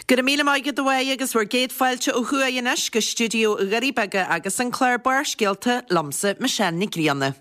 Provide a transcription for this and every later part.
Go raibh míle maith agat a Mháire agus bhur gcéad fáilte ó thuaidh anois go stiúideo Dhoirí Beaga agus an clár Barrscéalta liomsa, Michelle Nic Grianna.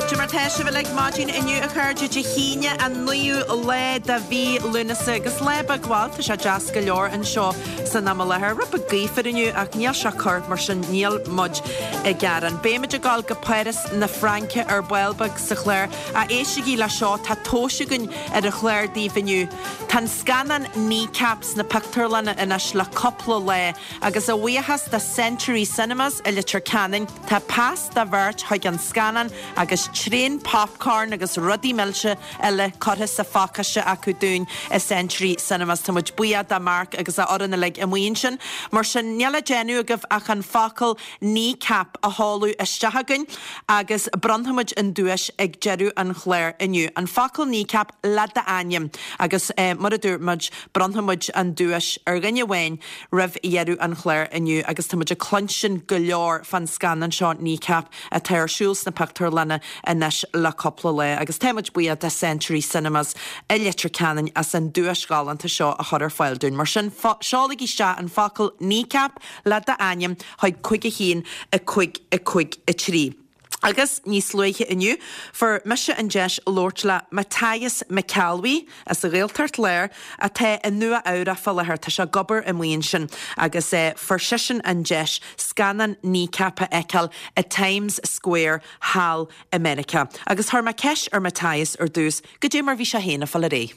Cad é mar tá sibh uilig maidin inniu a chairde Dé hAoine an 9ú lá de mhí Lúnasa agus lá beag bhuel tá sé deas go leor anseo san am i láthair. Rud beag gaofar inniu ach níl sé corr mar sin níl muid ag gearán. Beimid ag dul go Páras na Fraince ar ball beag sa chlár. Ach éistigí le seo, tá tomhais againn ar an chlár daoibh inniu. Tá an scannán Kneecap sna pictiúrlanna anois le cúpla lá agus a bhuíochas do Century Cinemas i Leitir Ceanainn tá pas do bheirt chuig an scannán agus traein popcorn agus rudaí milse eile curtha sa phacáiste acu dúinn i Century Cinemas. Tá muid buíoch do Mark agus a fhoireann uilig amuigh ansin. Mar sin níl le déanamh agaibh ach an focal Kneecap a sheoladh isteach chugainn agus bronnfaimid an duais ag deireadh an chláir inniu. An focal Kneecap le d'ainm agus mar a dúirt muid, bronnfaimid an duais ar dhuine amháin roimh dheireadh an chláir inniu agus tá muid ag cluinstin go leor fán scannán seo Kneecap atá ar siúl sna pictiúrlanna anois le cúpla lá agus tá muid buíoch de Century Cinemas i Leitir Ceanainn as an duais ghalánta seo a chur ar fáil dúinn. Mar sin, seolaigí isteach an focal Kneecap le d'ainm chuig 5 1 5 5 3. Agus níos luaithe inniu, fuair mise an deis labhairt le Matthias McElwee as an Ghaeltacht Láir atá i Nua Eabhrac fá láthair, tá sé ag obair amuigh ansin, agus fuair seisean an deis scannán Kneecap a fheiceáil i Times Square thall i Meiriceá. Agus chuir mé ceist ar Matthias ar dtús, goidé mar bhí sé féin ag fáil ar aghaidh.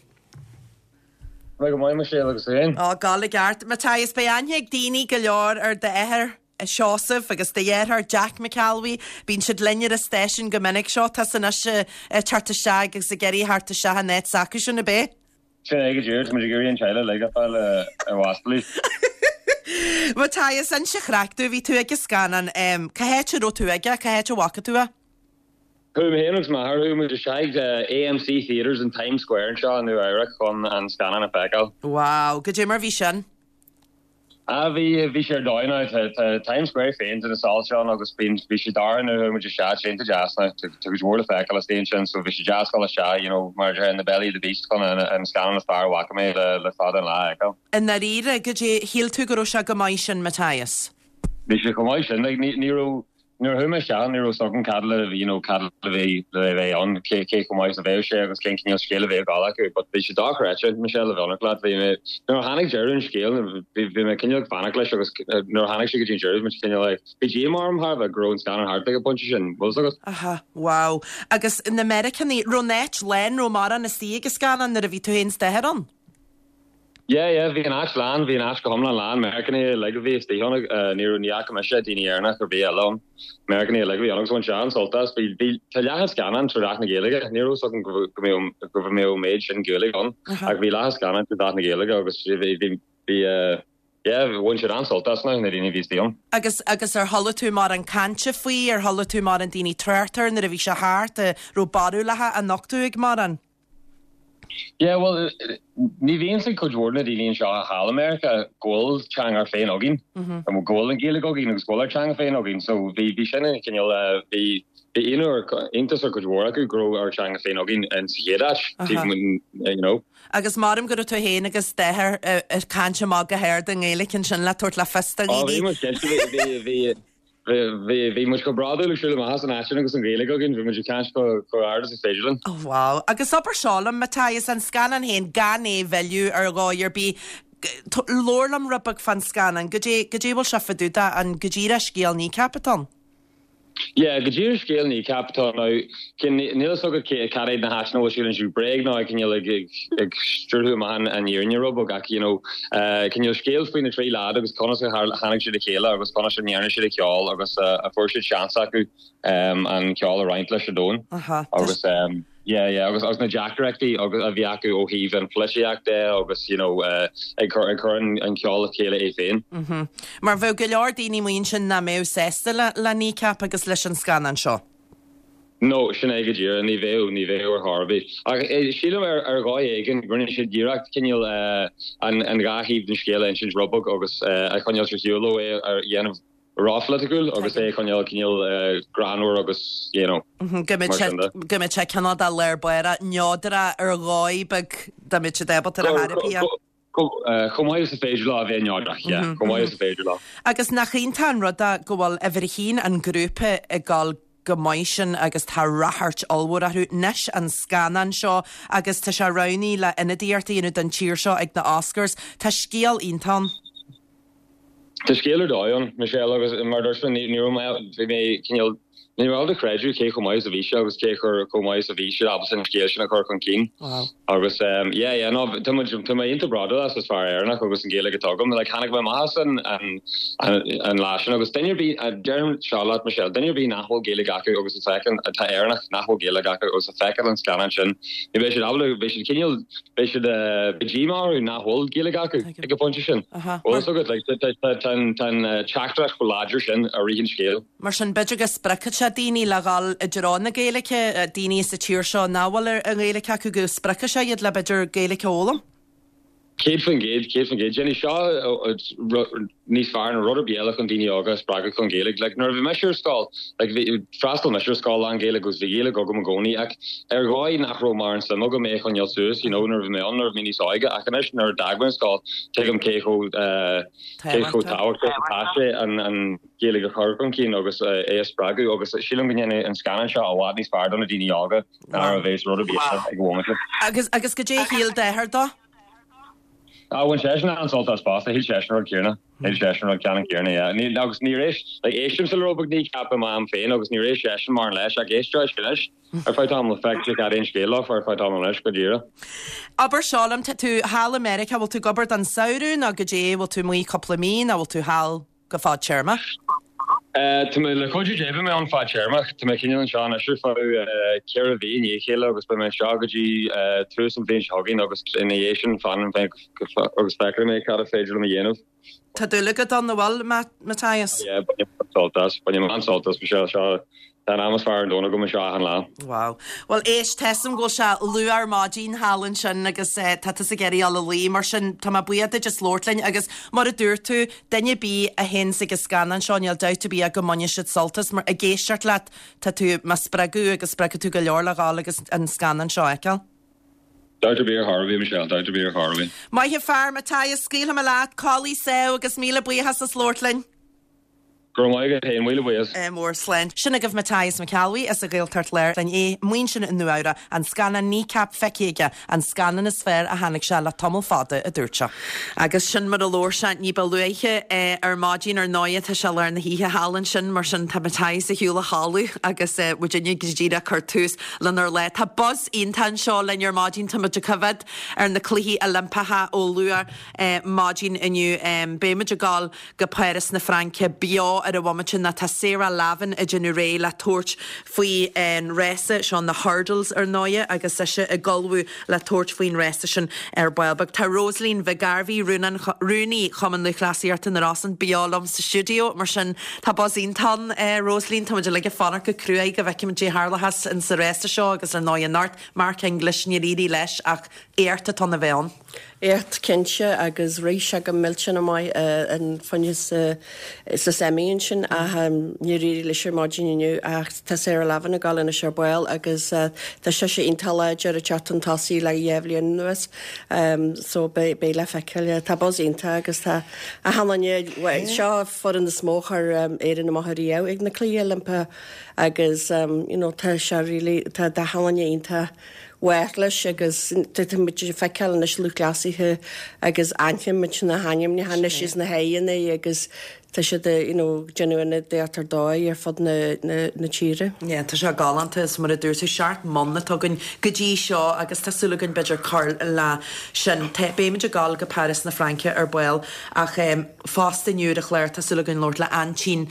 Go maith Michelle agus féin. Á, gabháil i gceart. Matthias, beidh aithne ag daoine go leor ar d'athair Seosamh agus do dheartháir Jack McElwee. Bíonn siad linn ar an stáisiún go minic. Seo tusa anois ag teacht isteach agus ag iarraidh theacht isteach in áit s'acusan, ab é? Sin é go díreach, tá muid ag iarraidh an teaghlach uilig a fháil ar bhasclaí. Matthias, inis an chraic dúinn, bhí tú ag an scannán. Cá háit a raibh tú aige? Cá háit a bhfaca tú é? Chuaigh mé féin agus m'athair, chuaigh muid isteach ag AMC Theatres in Times Square anseo i Nua Eabhrac chun an scannán a feiceáil. Wow, goidé mar bhí sin? Ah, bhí, bhí sé ar dóigh now. Tá, tá Times Square féin, tá na soilse ann agus bíonn, bhí sé dorcha nuair a chuaigh muid isteach, sé iontach deas now. Tá, tá cuid mhór le feiceáil istigh ansin so bhí sé deas dul isteach, you know, mar a déarfá in the belly of the beast chun an, an scannán is fearr a bhfaca mé le, le fada an lá a fheiceáil. I ndáiríre, goidé, shíl tú go raibh sé go maith sin, Matthias? Bhí sé chomh maith sin, like, ní, ní raibh, Nuair a chuaigh mé isteach ní raibh 's agam cad le you know cad le bheith le bheith ann, cé cé chomh maith is a bheadh sé agus cén cineál scéil a bheadh ag gabháil acu but bhí sé dochreidte, Michelle le bheith ionraic leat, bhí mé nuair a tháinig deireadh an scéil bhí bhí mé cineál ag fanacht leis agus nuair a tháinig sé go dtí an deireadh bhí muid cineál like bhí díomá orm thar a bheith go raibh an scannán thart ag an bpointe sin, bhfuil 's agat? Aha, wow. Agus na Meiriceánaigh, raibh an áit lán, raibh mórán istigh ag an scannán nuair a bhí tú féin is d'athair ann? Yeah, yeah, bhí an áit lán, bhí an áit go hiomlán lán, Meiriceánaigh uilig a bhí istigh ann, ní raibh, ní fhaca mise daoine Éireannach ar bith eile ann, Meiriceánaigh uilig a bhí ann agus bhain sé an-sult as, bhí, bhí, tá leath an scannáin tré dhath na Gaeilge, ní raibh 's agam go, go mbeadh, go mbeadh an méid sin Gaeilge ann, ach bhí leath an scannáin tré dhath na Gaeilge agus bhí, bhí, bhí, yeah, bhain siad an-sult as na, na daoine a bhí istigh ann. Agus, agus ar chuala tú mórán cainte faoi, ar chuala tú mórán daoine trácht air nuair a bhí sé thart, a raibh barúlacha á nochtadh ag mórán? Yeah, bhuel, ní bhíonn 's ag cuid mhór de na daoine anseo thall i Meiriceá go bhfuil teanga ár féin againn, go bhfuil an Ghaeilge againn agus go bhfuil ár teanga féin againn. So bhí, bhí sin ina chineál, bhí, bhí ionadh ar, iontas ar cuid mhór acu go raibh ár teanga féin againn in sa chéad áit, taobh amuigh, you know. Agus maram go raibh tú féin agus d'athair ag caint amach go hard i nGaeilge ansin le tabhairt le fios do Ó, dhaoine. bhí muid cinnte, bhí, bhí, bhí, Bhí, bhí muid chomh bródúil ag siúl amach as an áit sin agus an Ghaeilge againn, bhí muid ag caint chomh, chomh ard is is féidir linn. Oh wow. Agus abair seo liom, Matthias, an scannán féin, gan é a mhilleadh ar dhóigh ar bith, labhair liom rud beag fán scannán, goidé, goidé a bhfuil sé fá dtaobh de, an go díreach scéal Kneecap atá ann? Yeah, go díreach scéal Kneecap atá ann. Now, níl fhios agat cé, cad iad na háiteanna a bhfuil siad ag inseacht bréag nó ag cineál ag, ag, ag stiúrthú amach an, an fhírinne rud beag ach, you know, cineál scéal faoi na trí leaid agus conas a tháinig siad le chéile agus conas a ndearna siad an ceol agus a fuair siad seans acu an ceol a roinnt leis an domhan. Agus yeah, yeah, agus agus na deacrachtaí agus a bhí acu ó thaobh an pholaitíocht de agus, you know, ag cur ag cur an an ceol le chéile é féin. Mar bheadh go leor daoine amuigh ansin nach mbeadh sásta le le Kneecap agus leis an scannán seo. No, sin é go díreach, ní bheadh, ní bheadh ar chor ar bith. Ach sílim ar ar dhóigh éigin, rinne siad iarracht cineál an an dhá thaobh den scéal a insint rud beag agus a choinneáil ar shiúl ó é a dhéanamh rópholaitiúil agus é a choinneáil cineál greannmhar agus, you know, Go mbeadh mar sé, sin de. go mbeadh sé cineál de lár báire neodrach ar dhóigh beag dá mbeadh siad ábalta ar chor ar bith. Chomh maith is is féidir leo a bheith neodrach, yeah, chomh maith is is féidir leo. Agus nach iontach an rud é go bhfuil uimhir a haon an grúpa ag dul go maith sin agus tá ráchairt ollmhór orthu anois an scannán seo agus tá sé roghnaithe le ionadaíocht a dhéanamh don tír seo ag na Oscars. Tá scéal iontach ann. Tá scéal ar dóigh ann, Michelle, agus mar a dúirt mé, ní raibh mé, bhí mé cineál, ní raibh ábalta creidiúint cé chomh maith is a bhí sé agus cé chomh maith is a bhí siad ábalta an scéal sin a chur chun cinn. Wow. Agus yeah, yeah, no, tá muid, tá mé iontach bródúil as, as fear Éireannach agus an Ghaeilge atá agam. Like, tháinig mé amach as an, an, an lá sin agus duine ar bith, deirim seo leat, Michelle, duine ar bith nach bhfuil Gaeilge acu agus a fheiceann, atá Éireannach nach bhfuil Gaeilge acu agus a fheiceann an scannán sin, ní bheidh siad ábalta, beidh siad cineál, Beidh siad, beidh díomá orthu nach bhfuil Gaeilge acu ag an bpointe sin. Bhfuil fhios agat, like, tá an teachtaireacht chomh láidir sin i rith an scéil. Mar sin, b'fhéidir go spreagfadh sé daoine le dhul i dtreo na Gaeilge, daoine sa tír seo nach bhfuil an Ghaeilge acu, go spreagfadh sé iad le b'fhéidir Gaeilge a fhoghlaim. 100%, 100%. Déanfaidh seo níos fearr ná rud ar bith eile chun daoine óga a spreagadh chun Gaeilge. Like, nuair a bhí mise ar scoil, like, bhí, d'fhreastail mise ar scoil lán-Ghaeilge agus bhí Gaeilge agam i gcónaí ach ar dhóigh nach raibh mórán suim agam é a choinneáil suas, you know, nuair a bhí mé ann, nuair a bhí mé níos óige ach anois nuair a d'fhág mé an scoil, tuigim cé chomh, eh, cé chomh tábhachtach atá sé an, an Ghaeilge a chur chun cinn agus é a spreagadh agus sílim go ndéanfaidh an scannán seo i bhfad níos fearr do na daoine óga ná a bheas rud ar bith eile ag an bhomaite. Agus, agus goidé a shíl d'athair dó? Ah, bhain seisean an-sult as fosta, shíl seisean an rud céanna. Shíl seisean an rud ceannann céanna, yeah. Ní, agus níor éist, like, éistimse le rud beag Kneecap i m'am féin agus níor éist seisean mórán leis ach éisteoidh sé anois ar feadh tamaill, feicfidh sé cad é an scéal leofa ar feadh tamaill anois, go díreach. Abair seo liom, tá tú thall i Meiriceá, bhfuil tú ag obair don samhradh nó goidé, bhfuil tú amuigh cúpla mí nó bhfuil tú thall? go fadtéarmach? Tá mé, le cuidiú Dé, beidh mé ann fadtéarmach. Tá mé cineál anseo anois ar feadh 4 mhí i ndiaidh a chéile agus beidh mé anseo go dtí tús an bhliain seo chugainn agus ina dhiaidh sin fanfaidh mé agus feicfidh mé cad is féidir liom a dhéanamh. Tá dúil agat ann, an bhfuil, Matthias? Yeah, bainim an-sult as. Bainim an-sult as, Michelle. Seo Tá an am is fearr ar domhan agam anseo achan lá. Wow. Bhuel éist, tá 'fhios a'm go bhfuil sé luath ar maidin thall ansin agus tá tusa ag iarraidh dul a luí, mar sin tá mé buíoch duit as labhairt linn agus mar a dúirt tú, duine ar bith a théanns ag an scannán seo níl dabht ar bith ach go mbainfidh siad sult as mar ag éisteacht leat tá tú mo spreagadh agus spreagfaidh tú go leor le dhul agus an scannán seo a fheiceáil. Dabht ar bith ar chor ar bith, Michelle, dabht ar bith ar chor ar bith. Maith an fear, Matthias, scaoilfidh mé leat, codlaigh sámh agus míle buíochas as labhairt linn. Go raibh maith agat féin, míle buíochas. Ádh mór, slán. Sin agaibh Matthias McElwee as an Ghaeltacht Láir linn é amuigh ansin i Nua Eabhrac, an scannán Kneecap feicthe aige, an scannán is fearr a chonaic sé le tamall fada, a dúirt sé. Agus sin mar a labhair sé ní ba luaithe ar maidin, ar ndóighe tá sé lár na hoíche thall ansin, mar sin tá Matthias ar shiúl a chodladh agus muidinne go díreach ag cur tús lenár lá. Tá buzz iontach anseo linn ar maidin, tá muid ag coimhéad ar na Cluichí Oilimpeacha ó luath maidin inniu. Beidh muid ag dul go Páras na Fraince beo ar an bhomaite nó tá Sarah Lavin ag déanamh réidh le tabhairt faoi an rása seo, na hurdles ar ndóighe, agus ise ag ullmhú le tabhairt faoin rása sin ar ball beag. Tá Rosaleen Mhic Gairbhí, Rúnaí Chumann Lúthchleasaíochta na Rosann beo liom sa stiúideo, mar sin tá buzz iontach ann, Rosaleen, tá muid uilig ag fanacht go cruaidh go bhfeicfimid caidé tharlóchas in sa rása seo agus ar ndóighe anocht, Mark English, níor éirigh leis ach éacht atá ann a bheith ann. Éacht cinnte agus rith sé go millteanach maith an pointe sa semi ansin ach níor éirigh leis ar maidin inniu ach tá Sarah Lavin ag dul anois ar ball agus tá sise iontach láidir ag teacht chun tosaigh le dhá bhliain anuas so beidh le feiceáil. Tá buzz iontach agus tá achan duine, seo foireann is mó a chuir Éirinn amach ariamh ag na Cluichí Oilimpeacha agus you know tá sé really tá achan duine iontach mhaith leis agus tá muid ag feiceáil anois lúthchleasaithe agus aithnímid na hainmneacha anois is na haghaidheanna agus tá siad you know déanamh ionadaíocht ar dóigh ar fud na na tíre. Yeah, tá sé galánta is mar a dúirt tú, seacht mbonn atá againn go dtí seo agus tá súil againn b'fhéidir cur le sin. Tá, beimid ag dul go Páras na Fraince ar ball ach eh, Fosta inniu ar an chlár tá súil againn labhairt le aintín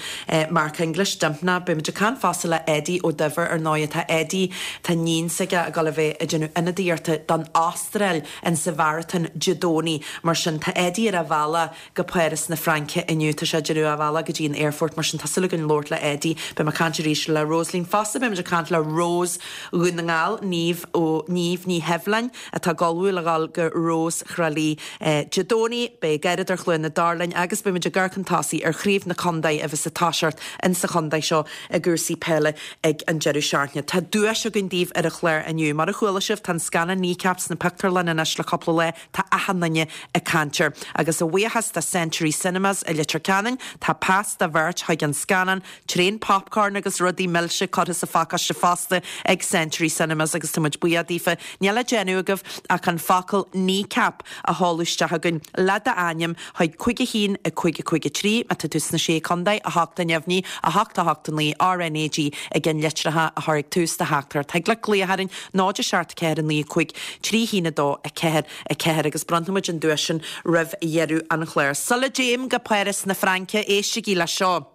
Mark English, Dympna. Beidh muid ag caint fosta le Eddie Ó Duibhir ar ndóigh. Tá Eddie, tá níon s'aige ag dul a bheith ag déanamh ionadaíochta don Astráil in sa mharatón Dé Domhnaigh. Mar sin tá Eddie ar a bhealach go Páras na Fraince inniu. Tá sé. ag déanamh a bhealach go dtí an aerfort, mar sin tá súil againn labhairt le Eddie. Beidh mé ag caint arís le Rosaleen fosta, beidh muid ag caint le Rós Dhún na nGall, Niamh ó Niamh Ní Sheibhleáin atá ag ullmhú le dhul go Rós Thrá Lí Dé Domhnaigh. Beidh Gearóid ar Chluain na Dara linn agus beidh muid ag amharc chun tosaigh ar Chraobh na Contae a bheas ag toiseacht insa chontae seo i gcúrsaí peile ag an deireadh seachtaine. Tá duais againn daoibh ar an chlár inniu. Mar a chuala sibh, tá an scannán Kneecap sna pictiúrlanna anois le cúpla lá. Tá achan duine ag caint air. Agus a bhuíochas do Century Cinemas i Leitir Ceanainn, tá pas do bheirt chuig an scannán, tréan popcorn agus rudaí milse curtha sa phacáiste fosta ag Century Cinemas agus tá muid buíoch daofa. Níl le déanamh agaibh ach an focal Kneecap a sheoladh isteach chugainn le d'ainm chuig 5 1 5 5 3 má tá tú sna Sé Contae, 8 a neamhní, 8 8 9 RNAG i gceann litreacha a chur ag tús do theachtaireacht. Thig leat glaoch orainn 0 7 4 9 5 3 1 2 4 4 agus bronnfaidh muid an duais sin roimh dheireadh an chláir. Sula dtéim go Páras na Fraince, éistigí leis seo.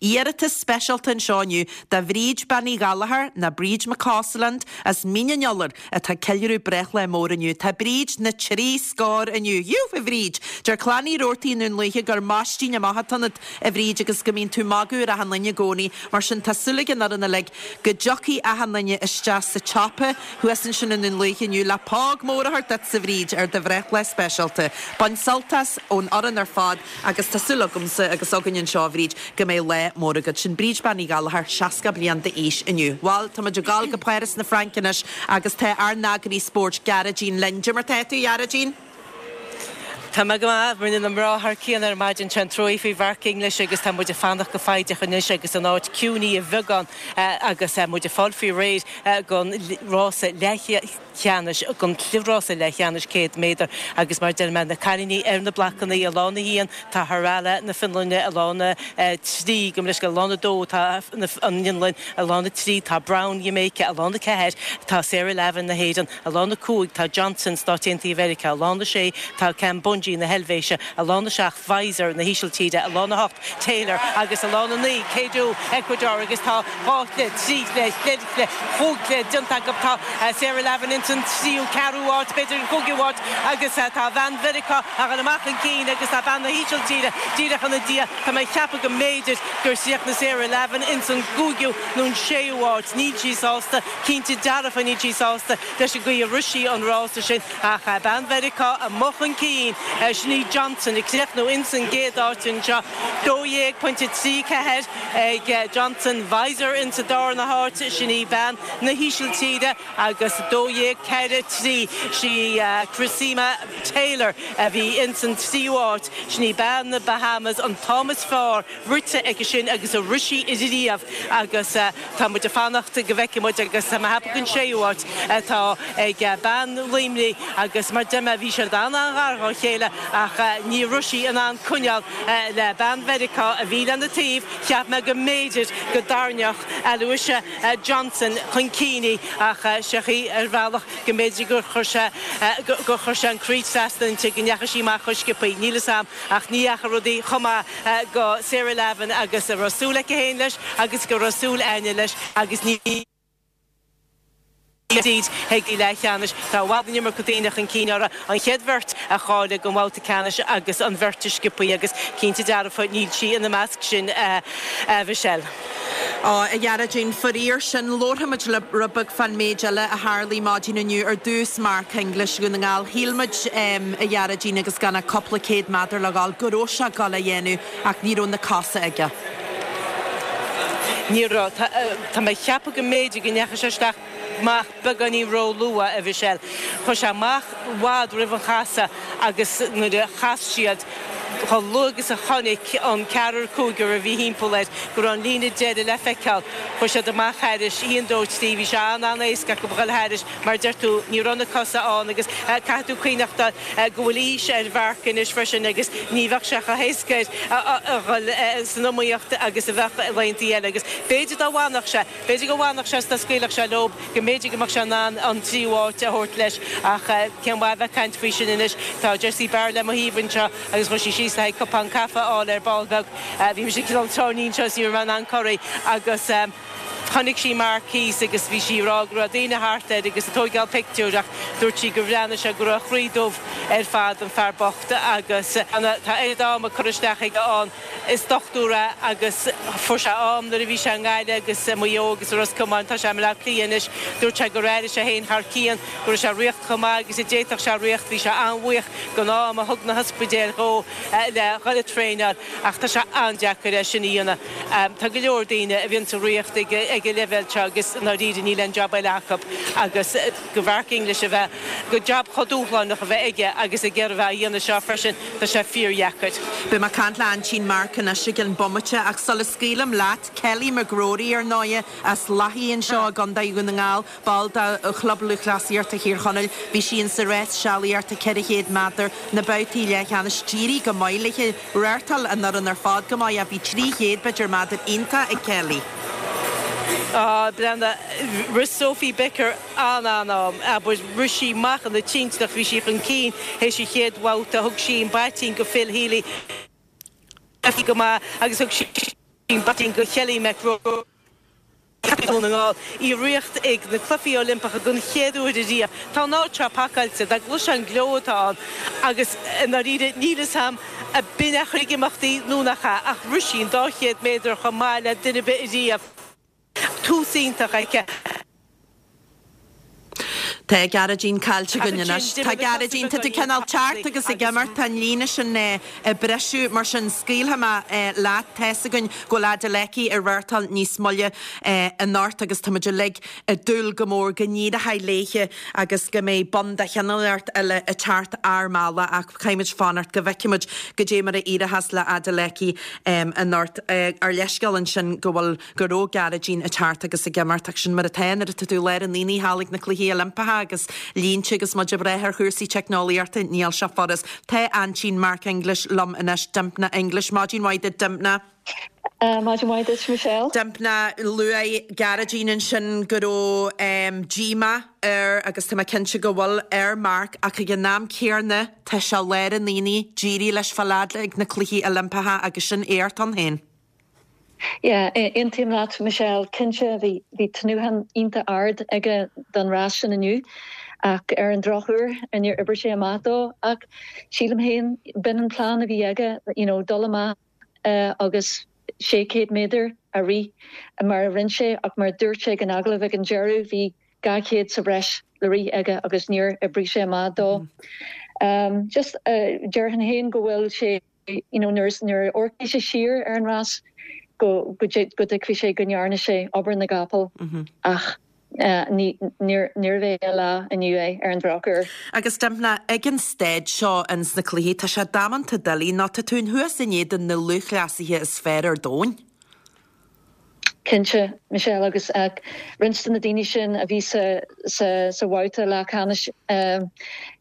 Iarratas speisialta anseo inniu do Bhríd Bean Uí Ghallchóir, nó Bríd McCausland, as Mín an Iolair atá ag ceiliúradh breithlá mór inniu. Tá Bríd na trí scór inniu. Hiú, a Bhríd! Deir Clann Uí Robhartaigh i nDún Lúiche gur maistín amach atá ionat, a Bhríd, agus go mbíonn tú magadh ar achan nduine i gcónaí. Mar sin, tá súil ag an fhoireann uilig go dtiocfaidh achan nduine isteach sa tsiopa thuas ansin i nDún Lúiche inniu le póg mór a thabhairt duitse, a Bhríd, ar do bhreithlá speisialta. Bain sult as ón fhoireann ar fad agus tá súil agamsa agus againn anseo, a Bhríd, go mbeidh lá mór agat. Sin Bríd Bean Uí Ghallchóir, 60 bliain d'aois inniu. Bhal, tá muid ag dul go Páras na Fraince anois agus tá ár n-eagraí spóirt, Gearóidín, linn. Cad é mar tá tú, a Ghearóidín? Tá mé go maith. Rinne na mná thar cionn ar maidin. Sé an treoir faoi Mhark English agus tá muid ag fanacht go foighdeach anois agus an áit ciúin a bheagán agus muid ag fáil faoi réir don rása leathcheannais, don chliathrása leathcheannais 100 méadar agus mar a deir mé, na cailíní ar na blocanna i lán a haon, tá Haarala na Fionlainne i lán a 3, gabh mo leithscéal, i lán a 2 tá an Fhionlainn, i lán a 3 tá Brown Jamaica, i lán a 4 tá Sarah Lavin na hÉireann. I lán a 5 tá Johnson, Stáit Aontaithe Mheiriceá, I lán a 6 tá Kambundji na hEilvéise, I lán a 7 Visor na hÍsiltíre, I lán a 8 Taylor agus i lán a 9 Kadu, Ecuador agus tá dhá shlí, trí shlí, cheithre shlí, chúig shlí déanta acu. Tá Sarah Lavin ins an tríú, ceathrú áit, b'fhéidir an cúigiú áit agus tá bean Mheiriceá a dhul amach chun cinn agus tá bean na hÍsiltíre díreach ina diaidh. Tá mé ag ceapadh go mb'fhéidir gur chríochnaigh Sarah Lavin ins an gcúigiú nó an séú áit. Níl sí sásta. Cinnte dearfa níl sí sásta leis an gcaoi a rith sí an rása sin ach bean Mheiriceá amuigh chun cinn, sin í Johnson ag críochnú ins an gcéad áit anseo. 12.34 ag Johnson, Visor ins an darna háit, sin í bean na hÍsiltíre agus 12.43 sí Chrisima Taylor a bhí ins an tríú háit, sin í bean na Bahamas, an t-am is fearr rite aici sin agus a rith sí riamh agus tá muid ag fanacht go bhfeicfidh muid agus tá mé ag ceapadh an séú háit atá ag bean Luimnigh agus mar deir mé bhí siad an-an-ghar dhá chéile ach ní raibh sí in ann coinneáil le bean Mheiriceá a bhí lena taobh. Cheap mé go mb'fhéidir go dtarraingeodh Aloysia Johnson chun cinn í ach sé an chaoi ar bhealach go mb'fhéidir gur chuir sé gur chuir sé an croí trasna inti go ndeachaigh sí amach chomh sciobthaí. Níl fhios a'm ach ní dheachaigh rudaí chomh maith go Sarah Lavin agus a raibh súil aici féin leis agus go raibh súil a'inne leis agus ní siad chuig an leathcheannais. Tá i bhfad an iomarca daoine chun cinn orthu, an chéad bheirt a cháiligh don bhabhta ceannais agus an bheirt is sciobthaí agus cinnte dearfa níl sí ina measc sin a Mhichelle. Á, a Ghearóidín, faraor sin, labharfaimid libh rud beag fán méid eile a tharlaigh maidin inniu. Ar dtús, Mark English, Dhún na nGall. Shíl muid, a Ghearóidín, agus gan ach cúpla céad méadar le dhul, go raibh sé ag dul a dhéanamh, ach ní raibh na cosa aige. Ní raibh. Tá mé ag ceapadh go mb'fhéidir go ndeachaigh sé isteach amach beagáinín ró-luath, a Mhichelle. Chuaigh sé amach i bhfad roimh an chasadh agus nuair a chas siad, chomh luath agus a chonaic an ceathrar cúigear a bhí thimpeall air go raibh an líne deiridh le feiceáil, chuaigh siad amach thairis, haon, dó, trí, bhí sé an-an-éasca acu a dhul thairis, mar a deir tú, ní raibh na cosa ann agus caithfidh tú cuimhneachtáil go bhfuil aois ar Mhark anois freisin agus ní bheadh sé chomh héasca air a dhul san iomaíocht agus a bheadh laethanta eile agus b'fhéidir dá bhfanfadh sé, b'fhéidir go bhfanfadh sé is dá scaoilfeadh sé leo go mb'fhéidir go mbeadh sé in ann an tríú háit a thabhairt leis ach cén mhaith a bheith ag caint faoi sin anois. Tá Jessie Barr le mo thaobh anseo agus chuir sí síos. síos le haghaidh cupán caife a fháil ar ball beag. Bhí mise ag dul tráithnín seo is ní raibh mé in ann corraí agus chonaic sí Mark thíos agus bhí sí ag rá go raibh daoine thart air agus ag tóigeáil pictiúir ach dúirt sí gur bhreathnaigh sé go raibh a chroí dubh ar fad, an fear bocht agus tá oiread ama curtha isteach aige ann. Is dochtúir é agus fuair sé am nuair a bhí sé i nGaillimh agus i Maigh Eo agus i Ros Comáin. Tá sé i mBleá Cliath anois. Dúirt sé gur airigh sé féin thar cionn, go raibh sé ag ritheacht chomh maith agus a d'fhéadfadh sé ritheacht. Bhí sé an-bhuíoch den am a thug na hospidéil dhó le dhul ag traenáil ach tá sé an-deacair é sin a dhéanamh. Tá go leor daoine a bhíonns ag ritheacht ag an leibhéal seo agus i ndáiríre níl aon jab eile acu agus do Mhark English a bheith, do jab chomh dúshlánach a bheith aige agus ag iarraidh a bheith á dhéanamh seo freisin, tá sé fíordheacair. Beidh mé ag caint le aintín Mark anois i gcionn bomaite ach sula scaoilim leat, Kelly McGrory ar ndóighe, as Lathaí anseo i gContae Dhún na nGall, ball de Chlub Lúthchleasaíochta Thír Chonaill, bhí sí insa rás sealaíochta 400 méadar, na babhtaí leathcheannais, d'éirigh go maith léi. Reáchtáil an fhoireann ar fad go maith ach bhí 300, b'fhéidir, méadar iontach ag Kelly. Á, breathnaigh, rith Sophie Becker an-an-am, abair, rith sí amach ina tintreach, bhí sí chun cinn théis an chéad bhabhta, thug sí an baitín go Phil Healy go maith agus thug sí an baitín go Kelly McGrory. Dhún na nGall, í ag ritheacht ag na Cluichí Oilimpeacha don chéad uair ariamh. Tá an áit seo pacáilte, dá gcloisfeá an gleo atá ann agus i ndáiríre níl fhios a'm a b'in a chur ag imeacht í nó nach ea ach rith sí an 200 méadar chomh maith le duine ar bith ariamh. Tús iontach aici. Tá Gearóidín caillte againn anois. Tá Gearóidín, tá tú cineál teacht agus ag imeacht, tá an líne sin ag briseadh, mar sin scaoilfidh mé leat. Tá's againn go bhfuil Adeleke ag reáchtáil níos moille anocht agus tá muid uilig ag dúil go mór go n-éireoidh léithe agus go mbeidh bonn de chineál inteacht eile ag teacht ár mbealach ach caithfimid fanacht go bhfeicfimid goidé mar a éireochas le Adeleke anocht. Ár leithscéal ansin go bhfuil go raibh Gearóidín ag teacht agus ag imeacht ach sin mar atá nuair atá tú i lár an aonaigh thall ag na Cluichí Oilimpeacha agus línte agus muid ag brath ar chúrsaí teicneolaíochta, níl sé furast. Tá aintín Mark English liom anois, Dympna English. Maidin mhaith duit Dympna. Maidin mhaith duit Michelle. Dympna, luaigh Gearóidín ansin go raibh díomá air agus tá mé cinnte go bhfuil ar Mark ach ag an am céanna tá sé i lár an aonaigh, d'éirigh leis fáil fhad ag na Cluichí Oilimpeacha agus sin éacht ann féin. Yeah, aontaím leat Michelle, cinnte bhí bhí tnúthán iontach ard aige don rás sin inniu ach ar an drochuair níor oibrigh sé amach dó ach sílim féin b'in an plean a bhí aige you know dul amach agus 600 méadar a rith mar a rinne sé ach mar a dúirt sé ag an agallamh ag an deireadh bhí 200 sa bhreis le rith aige agus níor oibrigh sé amach dó. Just déarfainn féin go bhfuil sé you know nuair nuair a amharcfaidh sé siar ar an rás go go go dtuigfidh sé go ndearna sé obair na gcapall ach ní níor níorbh é a lá inniu é ar an drochuair. Agus Dympna, ag an staid seo ins na cluichí, tá sé damanta doiligh nó tá tú thuas in éadan na lúthchleasaithe is fearr ar domhain. Cinnte, Michelle, agus roinnt de na daoine sin a bhí sa sa bhabhta leathcheannais,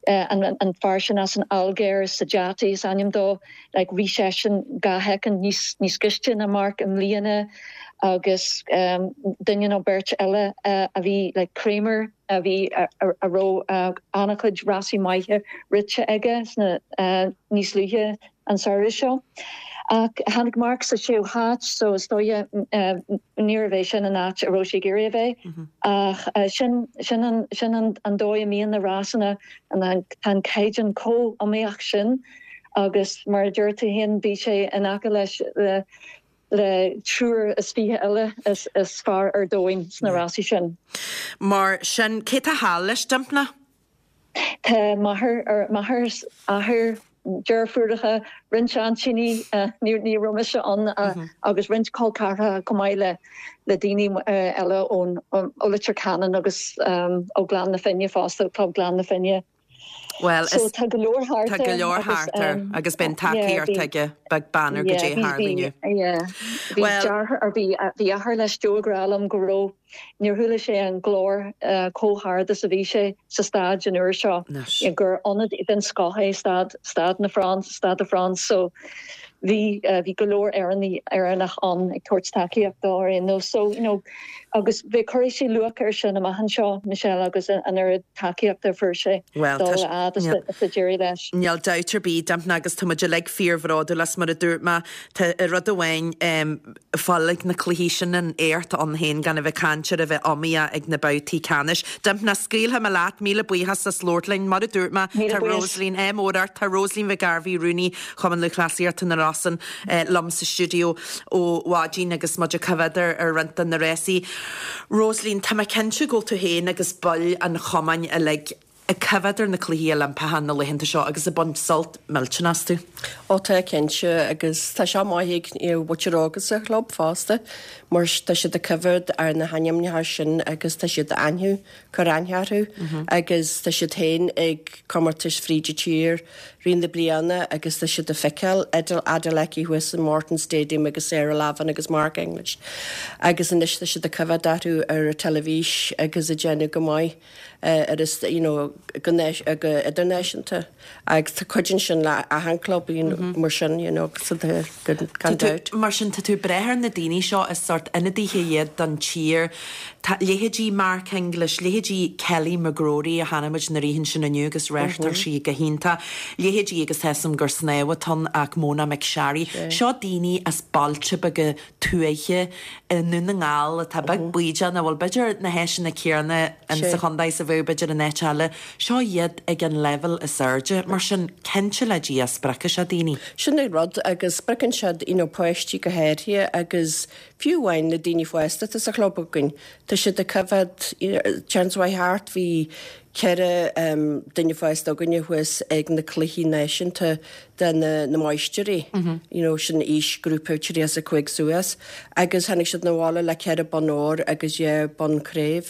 an fear sin as an Ailgéir, Sedjati is ainm dó, like rith seisean 2 shoicind níos níos gaiste ná Mark i mbliana agus duine nó beirt eile a bhí like Kramer a bhí a raibh an-chuid rásaí maithe rite aige sna níos luaithe an samhradh seo. Ach tháinig Mark sa séú háit so is dóiche níorbh é sin an áit a raibh sé ag iarraidh a bheith. Ach sin sin an sin an an dóigh a mbíonn na rásanna, tá an caighdeán chomh iomaíoch sin agus mar a deir tú féin bhí sé in aice leis le le triúr is fiche eile is is fearr ar domhain sna rásaí sin. Mar sin, cé tá thall leis, Dympna? Tá máthair, máthair, athair, deirfiúracha, roinnt aintíní, ní raibh mise ann, agus roinnt col ceathracha chomh maith le le daoine eile ón ó Leitir Ceanainn agus ó Ghleann na Finne fosta, Club Ghleann na Finne. Bhuel, So tá go leor thart tá go leor thart air agus beidh an tacaíocht aige, beag beann ar goidé a tharla inniu. Bhí deartháir, bhí bhí athair leis Joe ag rá liom go raibh Níor chuala sé an glór chomh hard is a bhí sé sa staid an uair seo, gur ionad den scoth é Stade, Stade na France, Stade de France. So. Bhí, bhí go leor Éireannaigh, Éireannach ann ag tabhairt tacaíocht dó ar aon nós. So, you know, agus bheadh, cuirfidh sé luach air sin amach anseo, Michelle, agus an oiread tacaíochta a fuair sé Bhuel, dul tá, a fhad is a d'éirigh leis. Níl dabht ar bith, Dympna, agus tá muid uilig fíorbhródúil as, mar a dúirt mé, tá rud amháin, fáil ag na cluichí sin an éacht ann féin gan a bheith ag caint ar a bheith iomaíoch ag na babhtaí ceannais. Dympna, scaoilfidh mé leat, míle buíochas as labhairt linn. Mar a dúirt mé, Míle tá buíochas. Rosaleen, ádh mór ort, tá Rosaleen Mhic Gairbhí, Rúnaí Chumann Lúthchleasaíochta na Rosann, liom sa stiúideo ó mhaidin agus muid ag coimhéad ar ar roinnt de na rásaí. Rosaleen, tá mé cinnte go bhfuil tú féin agus baill an chumainn uilig ag coimhéad ar na Cluichí Oilimpeacha na laethanta seo agus ag baint sult millteanach astu. Ó tá cinnte agus tá sé maith ag an mhuintir óga sa chlub fosta mar tá siad ag coimhéad ar na hainmneacha sin agus tá siad ag aithniú, cur aithne orthu agus tá siad féin ag comórtais fríd an tír rith na bliana agus tá siad ag feiceáil Adeleke thuas in Morton Stadium agus Sarah Lavin agus Mark English agus anois tá siad ag coimhéad orthu ar an teilifís agus ag déanamh go maith. ar a you know go go idirnáisiúnta agus tá cuid ansin le achan club you know mar sin you know so tá gan dabht. Mar sin tá tú ag breith ar na daoine seo is sórt ionadaithe iad don tír. Tá leithéidí Mark English, leithéidí Kelly McGrory a chonaic muid na rith ansin inniu agus reáchtáil sí go hiontach, leithéidí agus tá 'fhios a'm gur snámh atá ann ach Mona McSharry. Seo daoine as bailte beaga tuaithe i nDún na nGall atá beag baoideach nach bhfuil b'fhéidir na háiseanna céanna in sa chontae is a bheadh b'fhéidir in áit eile. Seo iad ag an leibhéal is airde. Mar sin, cinnte le Dia spreagfaidh sé daoine. Sin é rud agus spreagann siad you know páistí go háirithe agus fiú amháin na daoine fásta atá sa chlub againn tá siad ag coimhéad you know seans mhaith thart bhí 4 duine fásta againne thuas ag na cluichí náisiúnta de na na máistirí, you know, sin aois grúpa 35 suas, agus tháinig siad 'na bhaile le 4 bonn óir agus 2 bonn craobh.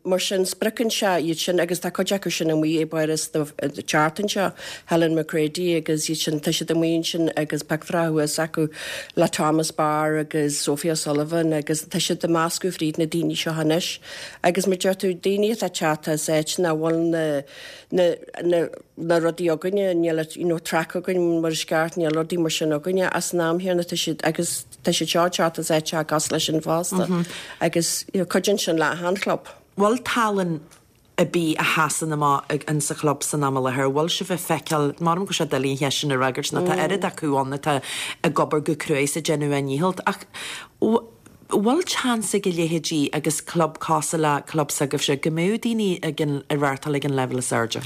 Mar sin, spriocann sé iad sin agus tá cuid acu sin amuigh i bPáras an tseachtain seo, Helen McCready agus iad sin, tá siad amuigh ansin agus pictiúr thuas acu le Thomas Barr agus Sophie O'Sullivan agus tá siad ag meascadh fríd na daoine seo anois. Agus mar deir tú, daoine atá ag teacht as áit nach bhfuil na, na, na, na rudaí againne, níl you know, track againn mar is ceart, níl rudaí mar sin againne as an am chéanna tá siad, agus tá siad seo ag teacht as áit cosúil leis sin fosta. Agus you know, cuidíonn sin le achan chlub. Bhfuil tallann ar bith a sheasann amach ag in sa chlub san am i láthair, bhfuil sibh ag feiceáil, maram go bhfuil sé doiligh an cheist sin a fhreagairt nó tá oiread acu ann atá ag obair go cruaidh is ag déanamh a ndícheall ach bhfuil seans ag a leithéidí agus club cosúil le club s'agaibhse go mbeadh daoine ag an ag reáchtáil ag an leibhéal is airde?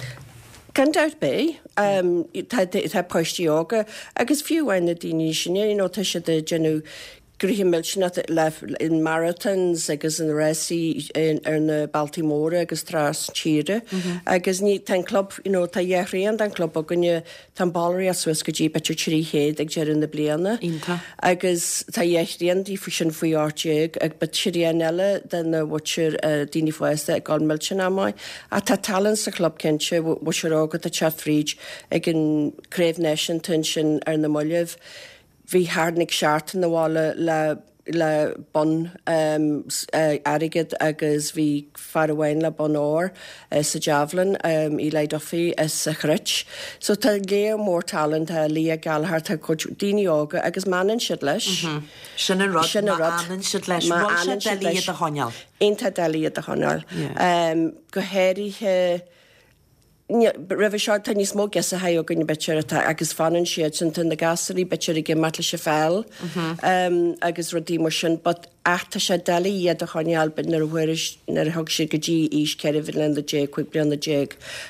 Gan dabht beidh. Tá tá páistí óga agus fiú amháin na daoine níos sine you know tá siad ag déanamh gnoithe millteanach le in marathons agus in rásaí ar na bealtaí móra agus trasna tíre agus ní tá an club you know tá dhá thrian den club againne tá an ballraíocht suas go dtí b'fhéidir 300 ag deireadh na bliana Iontach. agus tá dhá thrian díofa sin faoi 18 ag but trian eile de na mhuintir daoine fásta ag dul millteanach maith ach tá tallann sa chlub cinnte mhuintir óga atá ag teacht fríd ag an craobh náisiúnta ansin ar na mallaibh. Bhí tháinig seachtain abhaile le le bonn airgid agus bhí fear amháin le bonn óir sa javelin, Eli Duffy as an Chruit. So tá léar mór tallann, tá Leah Gallagher, tá cuid daoine óga agus má fhanann siad leis. Sin an rud, má fhanann siad leis. Má Bhfuil sé fhanann siad doiligh leis. iad a choinneáil? Iontach doiligh iad a choinneáil. Go háirithe Roimhe seo tá níos mó girseachaí againn b'fhéidir atá agus fanann siad sin tá na gasúirí b'fhéidir ag imeacht leis an pheil agus rudaí mar sin but ach tá sé doiligh iad a choinneáil but nuair a fuair nuair a thug siad go dtí aois 14 bhliana 15 bliana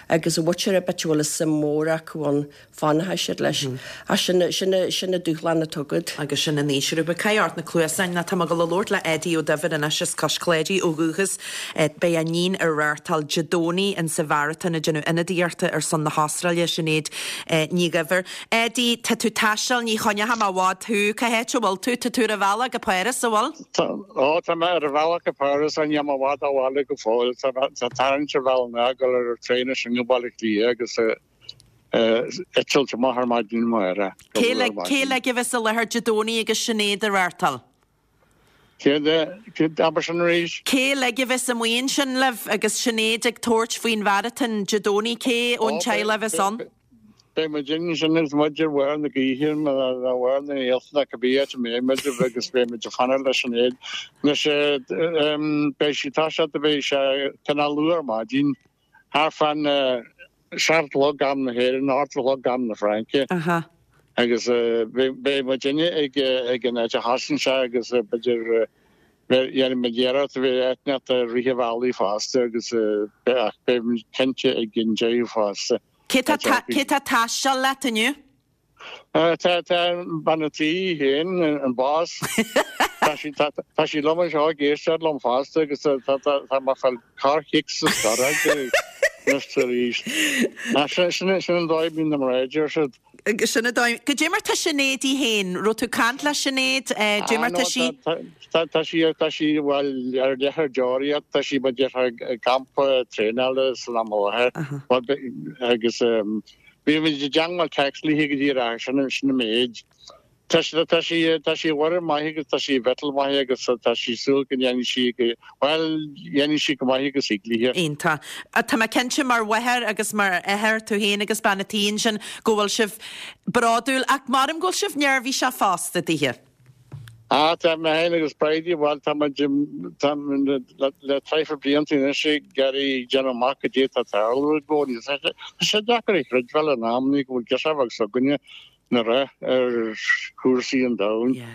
agus an mhuintir b'fhéidir a bhfuil suim mór acu ann fanfaidh siad leis. Ach sin, sin, sin an dúshlán atá agat. Agus sin an aoisghrúpa. Caith ort na cluasáin nó tá mé ag dul a labhairt le Eddie Ó Duibhir anois as Cois Cláidí ó dhúchas. Beidh a iníon ag reáchtáil Dé Domhnaigh in sa mharatón ag déanamh ionadaíochta ar son na hAstráile, Sinéad Ní Dhuibhir. Eddie, tá tú ag taisteal, ní choinneoidh mé i bhfad thú. Cá háit a bhfuil tú? Tá tú ar an bhealach go Páras, an bhfuil? Tá, ó, tá mé ar an bhealach go Páras ach níl mé i bhfad ó bhaile go fóill. Tá mé, tá tarraingt ar bhealach ná ag dul ar an traein ansin go Baile Átha Cliath agus eitilt amach ar maidin amárach. Cé uilig a bheas i láthair Dé Domhnaigh agus Sinéad ag reáchtáil? Céard, abair sin arís? Cé uilig a bheas amuigh ansin libh agus Sinéad ag tabhairt faoin mharatón Dé Domhnaigh? Cé ón teaghlach a bheas ann? Beidh muid ansin agus muid ar bharr na gaoithe nó ar bharr na néalta nó cibé áit a mbeidh muid agus beidh muid ag fanacht le Sinéad. Anois beidh sí toiseacht beidh sé cineál luath ar maidin, thart fán 7 a chlog am na hÉireann, 8 a chlog am na Fraince. Agus beidh muidinne ag ag an áit a thosaíonn sé agus b'fhéidir dhéanfaidh muid iarracht a bheith áit inteacht i rith an bhealaigh fosta agus ach beidh muid cinnte ag an deireadh fosta. Cé tá cé tá ag taisteal leat inniu? Tá tá bean an tí féin, an boss. Tá sí tá tá sí liom anseo ag éisteacht liom fosta agus tá tá tá tá mé ag fáil corr-chic sa scoráid anois arís. Sin sin sin an dóigh a mbíonn na mná, deir siad. Sin an dóigh. Goidé mar tá Sinéad í féin? Raibh tú ag caint le Sinéad? Goidé mar tá sí? Tá tá sí tá sí bhuel ar leith ar deoraíocht, tá sí mar a déarfá i gcampa traenála san am i láthair. Agus bhí muid i dteangmháil text léi go díreach sin sin an méid. Tá sí tá sí tá sí i bhfoirm maith agus tá sí i bhfeitil maith agus tá sí súil go ndéanfaidh sí go bhuel dhéanfaidh sí go maith agus thig léi. Iontach. Tá mé cinnte mar mháthair agus mar athair, tú féin agus bean a' tí ansin, go bhfuil sibh bródúil ach maram go bhfuil sibh neirbhíseach fosta, daoithe. Ah tá mé féin agus Bridie bhuel tá muid tá le le traidhfil blianta anois ag iarraidh déanamh amach goidé atá ag tarlú i gcónaí. Tá sé deacair a chreidbheáil in amannaí go bhfuil girseach bheag s'againne ina rith ar chúrsaí an domhain.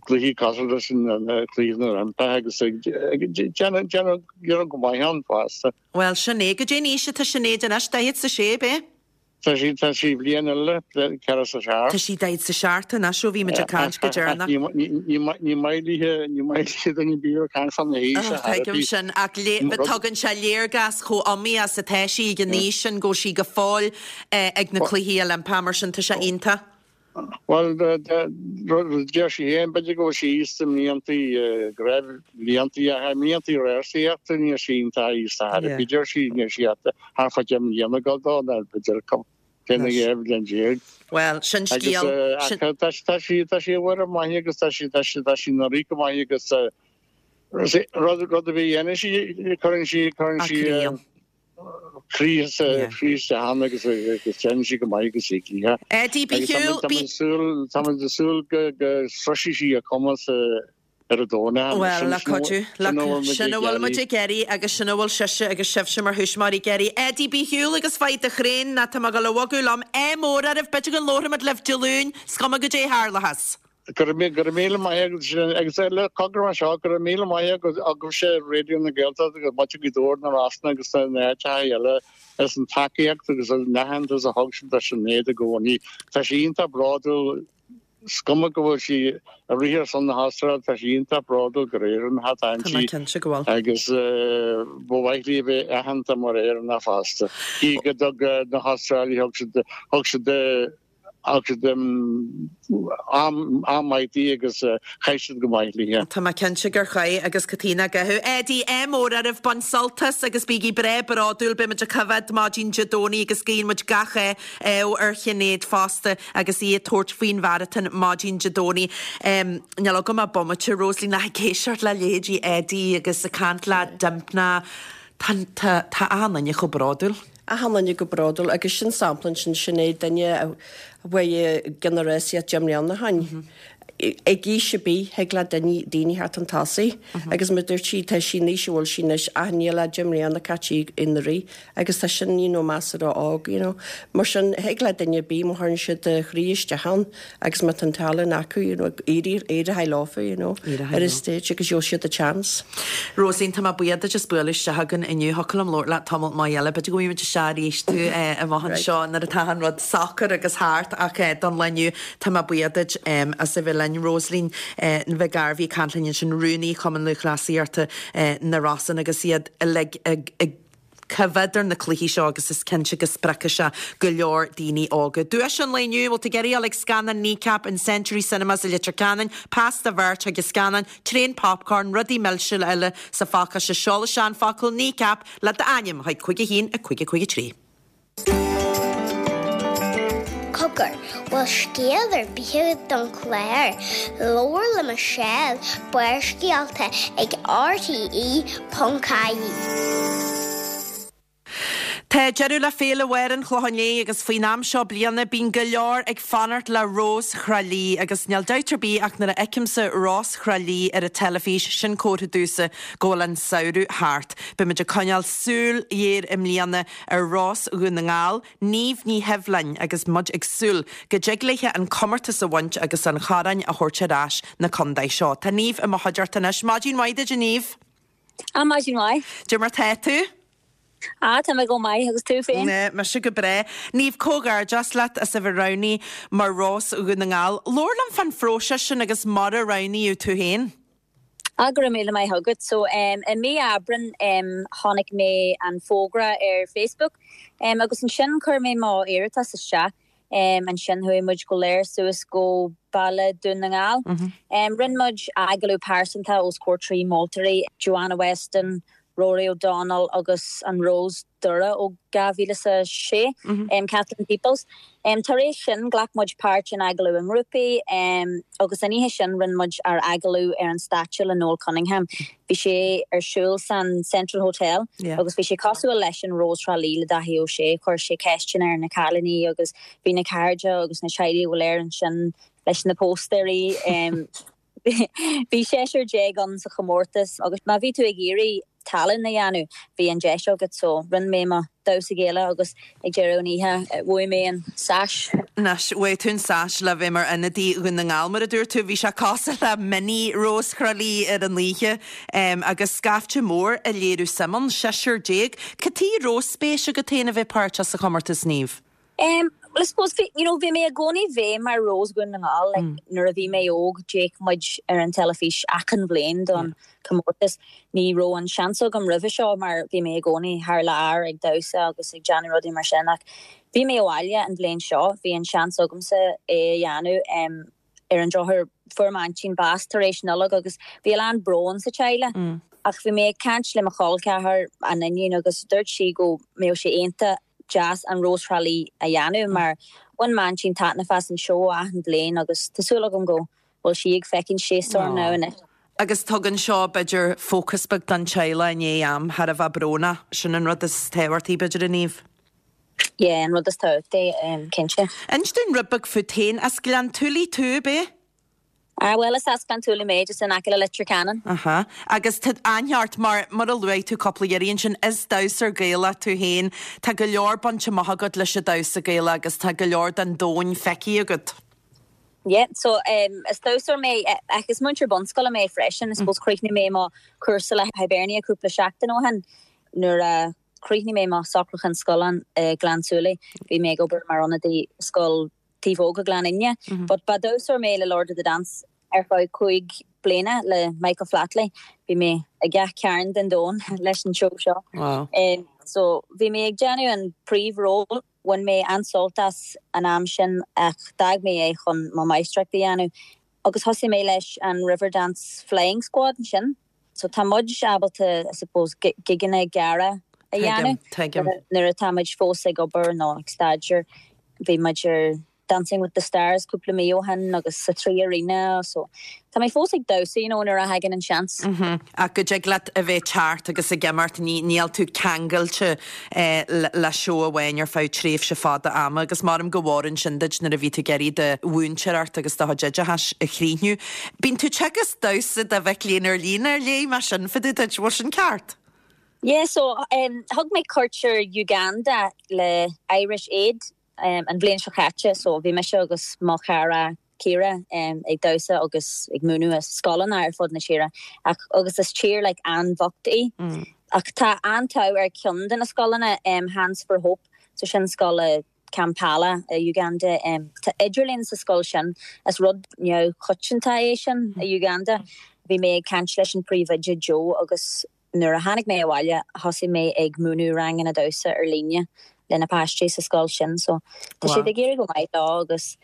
Cluichí cosúil leis an Cluichí na Oilimpeach agus ag déanamh go maith ann fosta. Bhuel, sin é. Goidé an aois atá Sinéad anois, 46, ab é? Tá sí, tá sí bliain eile, 47. Tá sí 47 anois ó bhí muid ag caint go deireanach. Ní maith léi, ní maith léi duine ar bith ag caint fána haois a thairbhí. Tuigim sin, ach tugann sé léargas chomh iomaí is atá sí ag an aois sin go bhfuil sí go fóill ag na Cluichí Oilimpeacha, mar sin tá sé iontach. Bhuel, deir sí féin, b'fhéidir go bhfuil sí aosta i mbliantaí, go raibh bliantaí, ach i mbliantaí rásaíochta níl sí iontach aosta thar a bith, deir sí, níl sí ach thart fá deich mbliana ag dul dó, nó b'fhéidir cén na 12 bhliain. Bhuel, sin scéal. Agus tá sí, tá sí i bhfoirm maith agus tá sí, tá sí, tá sí ina rith go maith agus rud, rud ar bith a dhéanann sí, cuireann sí, cuireann sí. Croí isteach ann agus déanann sí go maith agus í cluiche. Eddie, bí shiúl, bí. Tá muid ag súil go sroisfidh sí a cumas ar an Domhnach. Bhuel, le cuidiú, le, sin a bhfuil muid ag iarraidh agus sin a bhfuil sise agus sibhse mar thuismitheoirí ag iarraidh. Eddie, bí shiúl agus faigh do thraein nó tá mé ag dul a bhogadh liom. Ádh mór oraibh, b'fhéidir go labharfaimid libh Dé Luain, 's cuma goidé a tharlóchas. Go raibh míle maith agat agus le cogar mar seo, go raibh míle maith agaibhse Raidió na Gaeltachta agus muintir Ghaoth Dobhair na Rosann agus na háiteacha eile as an tacaíocht agus an aitheantas a thug sibh do Sinéad i gcónaí. Tá sí iontach bródúil, 's cuma go bhfuil sí ag rith ar son na hAstráile, tá sí iontach bródúil gur Éireannach atá inti. Tá mé cinnte go bhfuil. Agus ba mhaith léi a bheith aitheanta mar Éireannach fosta. Cé go dtug na hAstrálaigh, thug siad, thug siad Thug siad am maith di agus chaith siad go maith léi. Tá mé cinnte gur chaith agus cad chuige nach gcaithfeadh. Eddie, ádh mór oraibh, bain sult as agus bígí breá bródúil, beidh muid ag coimhéad maidin Dé Domhnaigh agus guíonn muid gach ádh ar Shinéad fosta agus í ag tabhairt faoin mharatón maidin Dé Domhnaigh. Níl agam ach bomaite, Rosaleen, ach ag éisteacht le leithéidí Eddie agus ag caint le Dympna, tá, tá, tá achan duine chomh bródúil. Achan duine chomh bródúil agus sin sampla ansin, Sinéad, duine a bhuaigh i gcionn na rásaíocht deich mbliana ó shin. Ag aois ar bith, thig le daoine theacht chun tosaigh agus mar a dúirt sí, tá sí in aois a bhfuil sí anois ach níl ach deich mbliana caite ina rith agus tá sin, you know, measartha óg, you know. Mar sin, thig le duine ar bith má chuireann siad a chroí isteach ann agus má tá an tallann acu, you know, éirí, éireoidh leofa, you know, ar an stage agus gheobhaidh siad a chance. Rosaleen, tá mé buíoch duit as bualadh isteach chugainn inniu. Thiocfadh liom labhairt leat tamall maith eile. B'fhéidir go bhfaighidh muid isteach arís tú amach anseo nuair atá an rud socair agus thart ach don lá inniu tá mé buíoch duit as a bheith linn. Rosaleen Mhic Gairbhí ag caint linn ansin, Rúnaí Chumann Lúthchleasaíochta na Rosann agus iad uilig ag coimhéad ar na cluichí seo agus is cinnte go spreagfaidh sé go leor daoine óga. Duais an lae inniu, bhfuil tú ag iarraidh dul ag scannán Kneecap in Century Cinemas i Leitir Ceanainn, pas do bheirt chuig an scannán, traein popcorn, rudaí milse eile sa phacáiste, seol isteach an focal Kneecap le d'ainm chuig 5 1 5 5 3. Cogar, bhfuil scéal ar bith agat don chlár? Labhair le Michelle, Barrscéalta ag RTE.ie. Tá deireadh le Féile Bharr an Chlocháin Léith agus faoin am seo bliana bíonn go leor ag fanacht le Rós Thrá Lí agus níl dabht ar bith ach nuair a fheicimse Rós Thrá Lí ar an teilifís, sin comhartha domhsa go bhfuil an samhradh thart. Beimid ag coinneáil súil ghéar i mbliana ar Rós Dhún na nGall, Niamh Ní Sheibhleáin agus muid ag súil go dtig léithe an comórtas a bhaint agus an choróin a thabhairt ar ais na contae seo. Tá Niamh i mo chuideachta anois. Maidin mhaith duit a Niamh. Ah, maidin mhaith. Cad é mar tá tú? Ah, tá mé go maith, agus tú féin? Mise go breá. Niamh, comhghairdeas leat as a bheith roghnaithe mar Rós Dhún na nGall. Labhair liom fán phróiseas sin agus mar a roghnaíodh tú féin. Ah, go raibh míle maith agat. So, i mí Aibreán, chonaic mé an fógra ar Facebook, agus ansin chuir mé mo iarratas isteach. Ansin chuaigh muid go léir suas go baile Dún na nGall. Rinne muid agallamh pearsanta os comhair 3 moltóirí, Joanna Weston, Rory O'Donnell agus an Rós Doire ó 2006, Kathleen Peoples. Tar éis sin, ghlac muid páirt in agallamh i ngrúpaí agus an oíche sin rinne muid ár agallamh ar an stáitse le Noel Cunningham. Bhí sé ar siúl san Central Hotel agus bhí sé cosúil leis an Rós Thrá Lí le Dáithí Ó Sé. Chuir sé ceisteanna ar na cailíní agus bhí na cairde agus na teaghlaigh go léir ansin leis na póstaeirí. Bhí 16 ann sa chomórtas agus má bhí tú ag iarraidh tallann a dhéanamh, bhí an deis agat so rinne mé mo damhsa Gaelach agus ag deireadh an oíche bhuaigh mé an sash. Anois, bhuaigh tú an sash le bheith mar ionadaí Dhún na nGall, mar a dúirt tú, bhí sé cosúil le mini Rós Thrá Lí ar an oíche agus scaifte mór ag léiriú suim ann, 16. Cad chuige a raibh spéis agat féin a bheith páirteach sa chomórtas, Niamh? Em, well I suppose bhí, you know, bhí mé i gcónaí bheith mar Rós Dhún na nGall, like, nuair a bhí mé óg d'fhéach muid ar an teilifís achan bhliain don comórtas. Ní raibh an seans agam roimhe seo mar bhí mé i gcónaí thar lear ag damhsa agus ag déanamh rudaí mar sin ach bhí mé abhaile an bhliain seo, bhí an seans agamsa é a dhéanamh. Em, ar an drochuair fuair m'aintín bás tar éis Nollag agus bhí a lán brón sa teaghlach ach bhí mé ag caint le mo chol ceathar, an iníon, agus dúirt sí go mbeadh sé iontach deas an Rós Thrá Lí a dhéanamh mar bhain m'aintín taitneamh as an seó achan bhliain agus tá súil agam go bhfuil sí ag feicint séasúr now anois. Agus tugann seo, b'fhéidir, fócas beag don teaghlach i ndiaidh am thar a bheith brónach. Sin an rud is tábhachtaí, b'fhéidir, a Niamh. Yeah, an rud is tábhachtaí, cinnte. Inis dúinn rud beag fút féin. As Gleann tSúilí tú, ab é? Ah, bhuel, is as Gleann tSúilí mé, just in aice le Leitir Ceanainn. Aha. Agus tá aithne ort mar, mar a luaigh tú cúpla iarraidh ansin, is damhsóir Gaelach tú féin. Tá go leor bainte amach agat leis an damhsa Gaelach agus tá go leor den domhan feicthe agat. Yeah, so um, is damhsóir mé ach is múinteoir bunscoile mé freisin. I suppose chríochnaigh mé mo chúrsa le Hibernia cúpla seachtain ó shin nuair a chríochnaigh mé mo socrúchán scoile i Gleann tSúilí. Bhí mé ag obair mar ionadaí scoil Taobh Óg Ghleann Fhinne. But ba damhsóir mé le Lord of the Dance ar feadh 5 bliana le Michael Flatley. Bhí mé ag gach cearn den domhan leis an seó seo. Wow. So bhí mé ag déanamh an príomhról. Bhain mé an-sult as an am sin ach d'fhág mé é chun mo máistreacht a dhéanamh agus thosaigh mé leis an Riverdance Flying Squad ansin. So tá muid ábalta, I suppose, gigeanna gearra a dhéanamh Tuigim. nuair atá muid fós ag obair nó ag staidéar. Bhí muid ar Dancing with the Stars cúpla mí ó shin agus sa 3Arena so tá mé fós ag damhsa, you know, nuair a thagann an seans. Ach go dtig leat a bheith thart agus ag imeacht, níl tú ceangailte le seó amháin ar feadh tréimhse fada ama agus maram go bhfóireann sin duit nuair a bhí tú ag iarraidh do mhúinteoireacht agus do chuid oideachais a chríochnú. Bíonn tú ag teagasc damhsa do mhic léinn ar líne ar léigh mé sin fá dtaobh duit, bhfuil sin ceart? Yeah, so um, thug mé cuairt ar Uganda le Irish Aid um, an bhliain seo caite, so bhí mise agus mo chara Ciara um, ag damhsa agus ag múineadh i scoileanna ar fud na tíre ach agus is tír like an-bhocht í. Mm. Ach tá an-tóir ar ceann de na scoileanna um, Hands for Hope, so sin scoil i Kampala i Uganda. Tá idirlíon sa scoil sin. Is rud neamhchoitianta é sin i Uganda. Bhí mé ag caint leis an príomhoide Joe agus nuair a tháinig mé abhaile thosaigh mé ag múineadh ranganna damhsa ar líne le na páistí sa scoil sin. So tá siad ag éirí go maith leo agus.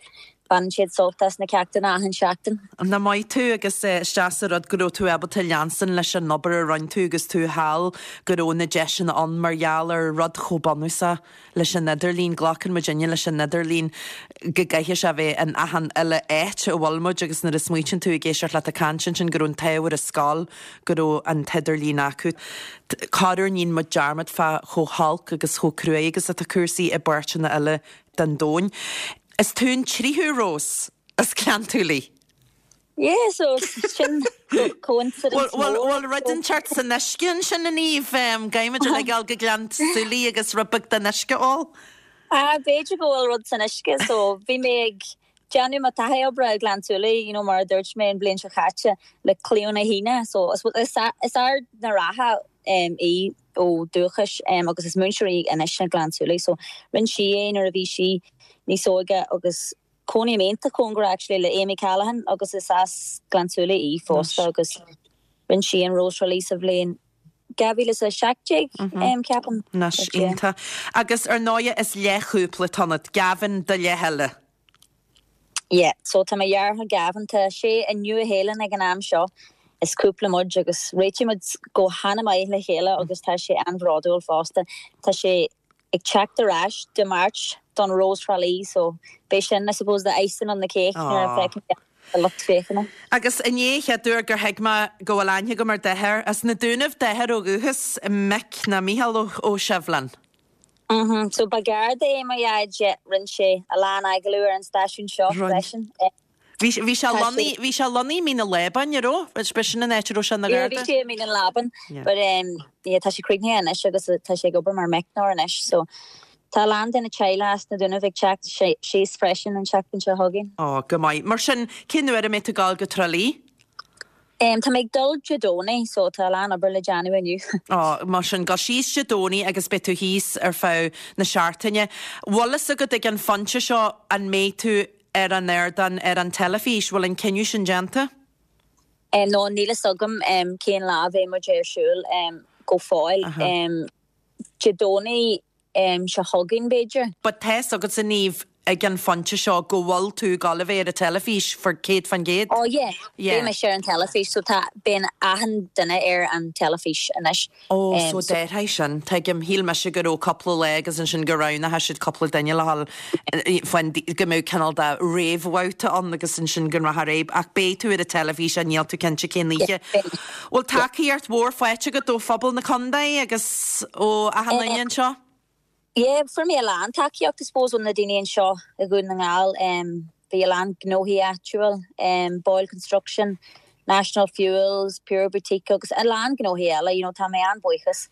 Baineann siad sult as na ceachtanna achan seachtain. Nach maith tú agus is deas an rud go raibh tú ábalta leanstan leis an obair a rinne tú agus tú thall, go raibh na deiseanna ann mar gheall ar rud chomh bunúsach leis an idirlíon. Glacann muidinne leis an idirlíon go gcaithfidh sé a bheith in achan uile áit a bhfuil muid agus nuair a smaoitíonn tú ag éisteacht leat ag caint ansin go raibh an t-ádh ar an scoil go raibh an t-idirlíon acu. Corruair níonn muid dearmad fá chomh holc agus chomh cruaidh agus atá cúrsaí i bpáirteanna eile den domhain. Is tú an tríú Rós as Gleann tSúilí. Yeah, so sin coincidence mór. Bhfuil rud inteacht san uisce ansin a Niamh? Caithfidh muid uilig dul go Gleann tSúilí agus rud beag den uisce a ól? Ah, b'fhéidir go bhfuil rud san uisce. So bhí mé ag déanamh mo taithí oibre i Gleann tSúilí, you know, mar a dúirt mé an bhliain seo chaite le Clíona Heaney. So is as Ard na Rátha í ó dúchas agus is múinteoir í anois i nGleann tSúilí. So rinne sí é nuair a bhí sí níos óige agus cónaím iontach cóngarach actually le Amy Callaghan agus is as Gleann tSúilí í fosta agus rinne sí an Rós Thrá Lí sa bhliain 2017 ceapaim. Anois, iontach. Agus ar ndóighe is leathchúpla atá ionat, Gavin do leath eile. Yeah, so tá mo dheartháir Gavin, tá sé i Nua Shéalainn ag an am seo, is cúpla muid agus réitíonn muid go han-mhaith le chéile agus tá sé an-bhródúil fosta. Tá sé ag teacht ar ais Dé Máirt don Rós Thrá Lí so beidh sin, I suppose, the icing on the cake nuair a fheiceann mé an lucht féachana. Agus inné an chéad uair gur thuig mé go bhfuil aithne agam ar d'athair, as na Dúnaibh d'athair ó dhúchas, Mick nó Mícheál Ó Sibhleáin. Mhm, so ba Gharda é mo dhaid, yeah, rinne sé a lán agallamh ar an stáisiún seo freisin. Bhí bhí sé lonnaithe bhí sé lonnaithe i Mín an Lábáin, an raibh? B'shin an áit a raibh sé ina Yeah, bhí sé i Mín an Lábáin, but um, yeah, tá sé críochnaithe anois agus tá sé ag obair mar meicneoir anois, so tá a lán de na teaghlaigh as na Dúnaibh ag teacht síos freisin an tseachtain seo chugainn. Ó, go maith. Mar sin, cén uair a mbeidh tú ag dul go Trá Lí? Em, tá mé ag dul Dé Domhnaigh, so tá a lán obair le déanamh inniu. Ó, mar sin, gabh síos Dé Domhnaigh agus beidh tú thíos ar feadh na seachtaine. Bhfuil fhios agat ag an phointe seo an mbeidh tú ar an ardán ar an teilifís? Bhfuil an cinneadh sin déanta? Em, no, níl fhios agam, em, cén lá a bheidh muid ar siúl, em, go fóill. Em, Dé Domhnaigh, em, seo chugainn, b'fhéidir. But tá fhios agatsa, Niamh, ag an phointe seo go bhfuil tú ag dul a bheith ar an teilifís for 100%? Oh yeah, yeah. Beidh mise ar an teilifís, so tá, bíonn achan duine ar an teilifís anois. Oh, so d'athraigh sin. Tuigim, shíl mise go raibh cúpla lá agus ansin go roghnódh siad cúpla duine le dhul faoin, go mbeadh cineál de réamhbhabhta ann agus ansin go rachadh ar aghaidh, ach beidh tú ar an teilifís ach níl tú cinnte cén oíche. Bhfuil tacaíocht mhór faighte agat ó phobal na contae agus ó achan duine anseo? Yeah, fuair mé a lán tacaíocht I suppose ó na daoine anseo i Dhún na nGall. Bhí a lán gnóthaí áitiúil, Boyle Construction, National Fuels, Pure Boutique agus a lán gnóthaí eile, you know, tá mé an-bhuíochas.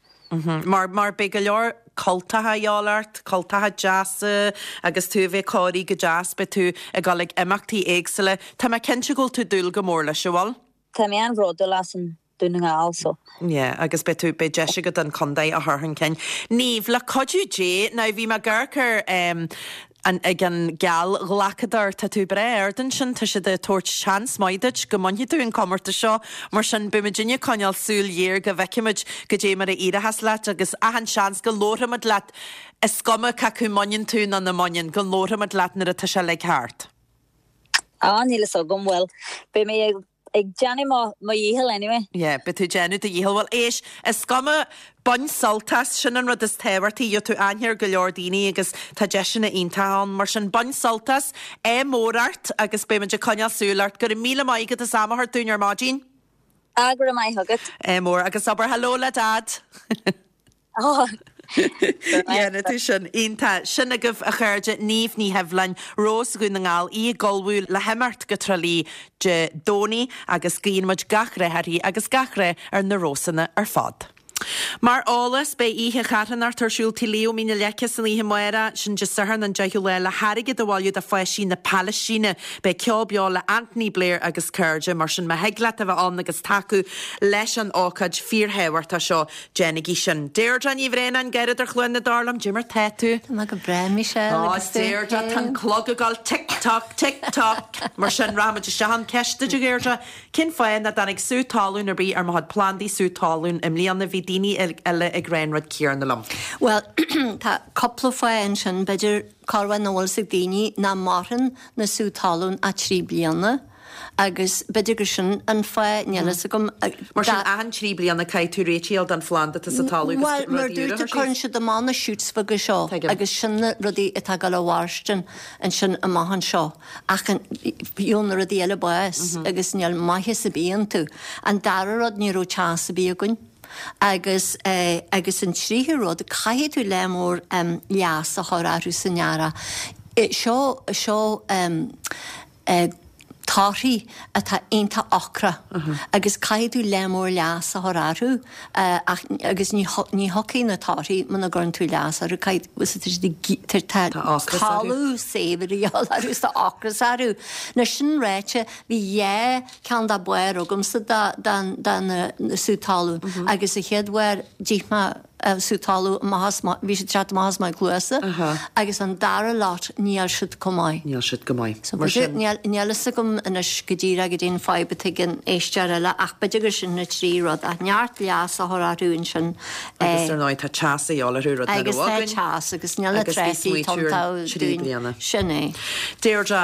Mar, mar beidh go leor cultacha a dhíobháil ort, cultacha deasa agus tú a bheith cóirithe go deas, beidh tú ag dul ag imeachtaí éagsúla. Tá mé cinnte go bhfuil tú ag dúil go mór leis, an bhfuil? Tá mé an-bhródúil as an Dún na nGall so. Yeah, agus beidh tú, beidh deis agat an contae a chur chun cinn. Niamh, le cuidiú Dé, now bhí mé ag amharc ar em an, ag an geallghlacadóir, tá tú breá ard ansin, tá siad ag tabhairt seans maith duit go mbainfidh tú an comórtas seo, mar sin beidh muidinne ag coinneáil súil ghéar go bhfeicfimid goidé mar a éireochas leat agus achan seans go labharfaimid leat, is cuma cé acu mbaineann tú nó nach mbaineann, go labharfaimid leat nuair atá sé uilig thart. Ah, níl fhios agam, bhuel, beidh mé ag ag déanamh mo mo dhícheall anyway. Yeah, beidh tú ag déanamh do dhícheall. Bhuel, éist, is cuma, bain sult as, sin an rud is tábhachtaí, gheobhaidh tú aithne ar go leor daoine agus tá deiseanna iontacha ann, mar sin bain sult as, ádh mór ort agus beidh muid ag coinneáil súil ort. Go raibh míle maith agat as am a thabhairt dúinn ar maidin. Ah, go raibh maith agat. Ádh mór agus abair hello le Dad. Dhéanfaidh tú sin. Iontach. Sin agaibh, a chairde, Niamh Ní Shibhleáin, Rós Dhún na nGall, í ag ullmhú le himeacht go Trá Lí Dé Domhnaigh agus guíonn muid gach rath uirthi agus gach rath ar na Rósanna ar fad. Mar eolas, beidh oíche charthanacht ar siúl Tigh Leo, Mín na Leice san oíche amárach, sin Dé Sathairn an 10ú lá, le hairgead a bhailiú do pháistí na Palaistíne. Beidh ceol beo le Anthony Blair agus cairde, mar sin má thig leat a bheith ann agus tacú leis an ócáid fíorthábhachtach seo, Déanaigí sin. Deirdre Ní Bhraonáin, Garradóir Chluain na Dara liom, Dé mar tá tú? Tá mé go breá, Michelle, Ó, agus tú Deirdre, tá an clog ag dul tic toc, tic toc. Mar sin, rachaimid isteach ann. Ceist duit, a Dheirdre, cén fáth nach dtáinig sú talún ar bith ar mo chuid plandaí sú talún i mbliana? Bhí. daoine eile ag rá an rud céarna liom. Bhuel, tá cúpla fáth ansin, b'fhéidir, corruair nach bhfuil 'fhios ag daoine nach maireann na sú talún ach 3 bliana agus b'fhéidir gur sin an fáth, níl 'fhios agam. Mar sin, achan 3 bliana caithfidh tú réiteach a fháil don phlanda atá sa talamh agus Bhuel, mar rudaí úra dúirt a tú, chur síos. cuireann siad amach na shoots bheaga seo Tuigim. agus sin na rudaí atá ag dul a mhairstin ansin amach anseo ach gheobhaidh na rudaí eile bás agus níl maitheas ar bith iontu. An dara rud, ní raibh teas ar bith againn. Agus, agus an tríú rud, caithfidh tú lear mór leas a chur orthu san earrach. Seo, seo torthaí atá iontach ocrach agus caithfidh tú lear mór leas a chur orthu ach, agus ní, ní thiocfaidh na torthaí muna gcuireann tú leas orthu, caithfidh, tá, tá talamh saibhir a dhíobháil orthu is tá ocras orthu. Anois sin ráite, bhí dhá ceann de bharr agamsa de na sú talún agus an chéad bharr d'ith mé sú talún amach as mo, bhí siad teacht amach as mo chluasa agus an dara lot níl siad chomh maith. Níl siad go maith. So Mar sin. Níl níl fhios agam anois go díreach goidé an fadhb atá ag an éisteoir eile ach b'fhéidir gur sin na trí rud ach neart leas a chur orthu ansin. Agus ar ndóigh tá teas a dhíobháil orthu rud nach Agus raibh tá againn. teas agus níl na Agus bhí trátaí smaoitiú ar tiontach trí dúinn. bliana. Sin é. Deirdre,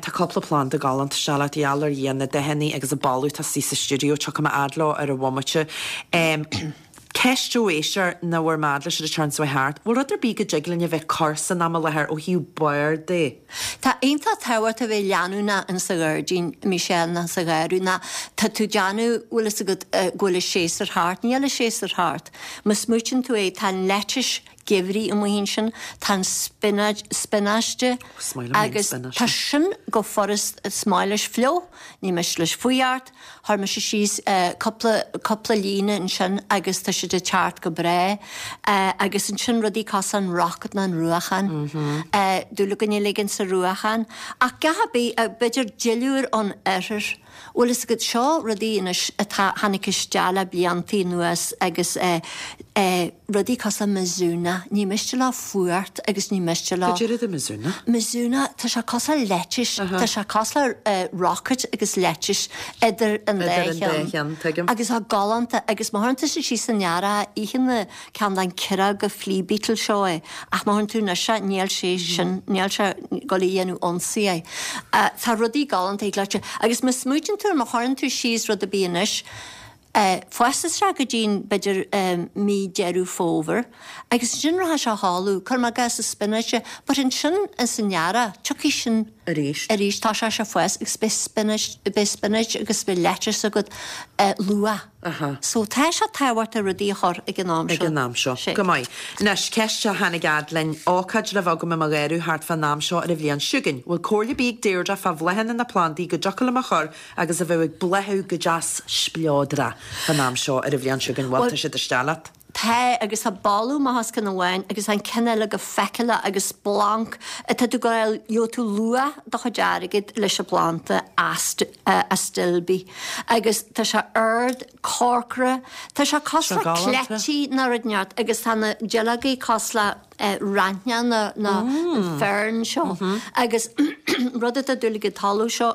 Tá cúpla planda galánta istigh leat, gheall ar Dhia, na dathanna agus an boladh atá istigh sa stiúideo, tiocfaidh mé fhad leo ar an bhomaite. Ceist ó éisteoir nach bhfuair mé fhad leis an turn so thart, bhfuil rud ar bith go dtig linn a bheith cur san am i láthair ó thaobh barr de? Tá iontach tábhachtach a bheith leanúnach in sa ghairdín, Michelle, ná sa gharradh, ná tá tú déanamh, bhfuil fhios agat, go bhfuil an séasúr thart. Níl an séasúr thart. Má smaoitíonn tú é, tá an leitis geimhridh amuigh ansin, tá an spionáiste agus tá sin go furast, is maith leis fliuch, ní miste leis fuacht, chuir mise síos cúpla, cúpla líne ansin agus tá siad ag teacht go breá agus ansin rudaí cosúil an rocket ná an ruachán, dúil againn uilig insa ruachán ach gach ar bith, b'fhéidir duilliúr ón oirthear. Bhfuil fhios agat, seo rudaí anois atá, tháinig isteach le bliantaí anuas agus eh, eh, rudaí cosúil mizuna, ní miste leo fuacht agus ní miste leo. Cad é rud é mizuna? Mizuna, tá sé cosúil leitis, tá sé cosúil eh, rocket agus leitis idir an dá Idir an dá cheann. cheann, tuigim. Agus tá galánta agus má chuireann tusa síos san earrach itheann na ceann den ciaróga flea beetle seo é ach má chuireann tú anois é níl sé sin, níl sé ag dul a dhéanamh ionsaí é. Tá rudaí galánta ag leite agus má smaoitíonn tú ar má chuireann tú síos rud ar bith anois, fásfaidh sé go dtí b'fhéidir mí Deireadh Fómhair agus ansin rachaidh sé a chodladh, cuir i gcás an spionáiste, but ansin ins an earrach tiocfaidh sin arís. arís tá sé sé fás agus beidh spinach, beidh spinach agus beidh lettuce agat luath. Aha. So tá sé tábhachtach rudaí a chur ag an am Ag seo. an am seo. Sé. Go maith. Anois, ceist a tháinig fhad linn, ócáid le bheith agam i mo gharradh thart fán am seo ar an bhliain chugainn. Bhfuil comhairle ar bith ag Deirdre fá bhláthanna nó plandaí go dtiocfadh liom a chur agus a bheadh ag bláthú go deas spleodrach fán am seo ar an bhliain chugainn? Bhuel, Bhuel, tá siad isteach leat. Tá, agus tá boladh maith as ceann amháin agus an ceann eile go feiceálach agus splanc. Tá tú ag gabháil, gheobhaidh tú luach do chuid airgid leis an bplanda astilbe. Agus tá sé ard, corcra, tá sé cosúil le cleití nó rud inteacht agus tá na duilleogaí cosúil le raithneach nó nó fern seo. Agus rud atá dúil ag an talamh seo,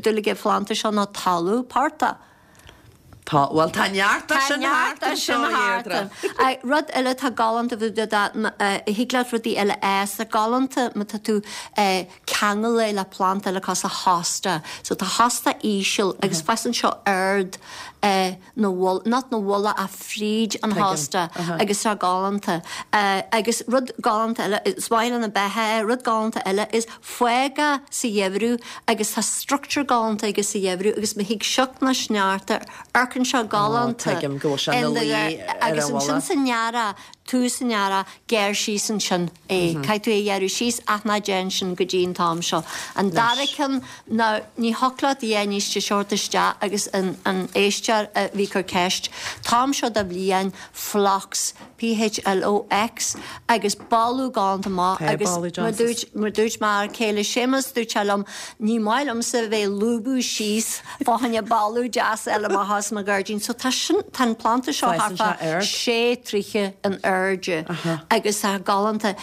dúil ag an phlanda seo ná talamh portach. Tá, bhuel tá neart de Tá sin neart thart de sin anseo, thart. Dheirdre. Rud eile atá galánta, thig leat rudaí eile a fhás, tá galánta má tá tú ag ceangal é le planda eile cosúil le hosta. So tá hosta íseal agus fásann seo ard ina mhullach, not ina mhullach ach fríd an Tuigim. hosta agus tá galánta. Agus rud galánta eile, is maith lena beatha é, rud galánta eile is Fág é sa gheimhreadh agus tá structure galánta aige sa gheimhreadh agus má thig sioc ná sneachta amharcann sé galánta Tuigim go bhfuil sé ina luí ar a agus ansin mhullach. san earrach, tús an earraigh, gearr síos ansin é. Caithfidh tú é a ghearradh síos ach ná déan sin go dtí an t-am seo. An dara ceann ná ní thiocfadh leat a dhath níos deise a thabhairt isteach agus an an éisteoir a bhí ag cur ceist, t-am seo de bhliain, phlox, PHLOX, agus boladh galánta maith Tá agus boladh mar deas. dúirt, mar dúirt m'fhear céile Séamus, dúirt sé liom, ní maith liomsa a bheith ag lúbadh síos fá choinne boladh deas a fháil amach as mo ghairdín. So tá sin, tá an planda seo Fásann thart fá sé ard. sé troighe in airde agus tá galánta.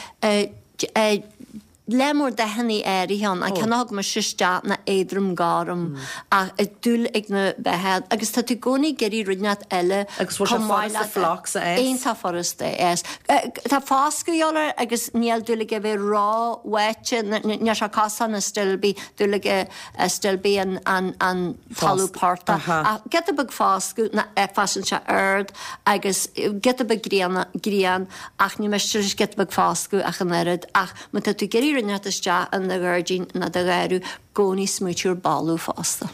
lear mór dathannaí áirithe ann, an ceann a thug mise isteach ná éadrom gorm ach dúil ag na beithe agus tá tú i gcónaí ag iarraidh rud inteacht eile Agus bhfuil sé chomh maith furasta leat. phlox a fhás? Iontach furasta a fhás. Tá foscadh a dhíobháil air agus níl dúil aige bheith ró-bháite, níl sé cosúil na stilbí, dúil aige stilbí an an talamh portach. Ach giota beag foscadh ná fásann sé ard agus giota beag grian grian ach ní miste leis giota beag foscadh ach an oiread ach má tá tú ag iarraidh rud inteacht isteach in do ghairdín nó do gharradh i gcónaí smaoitiú ar boladh fosta.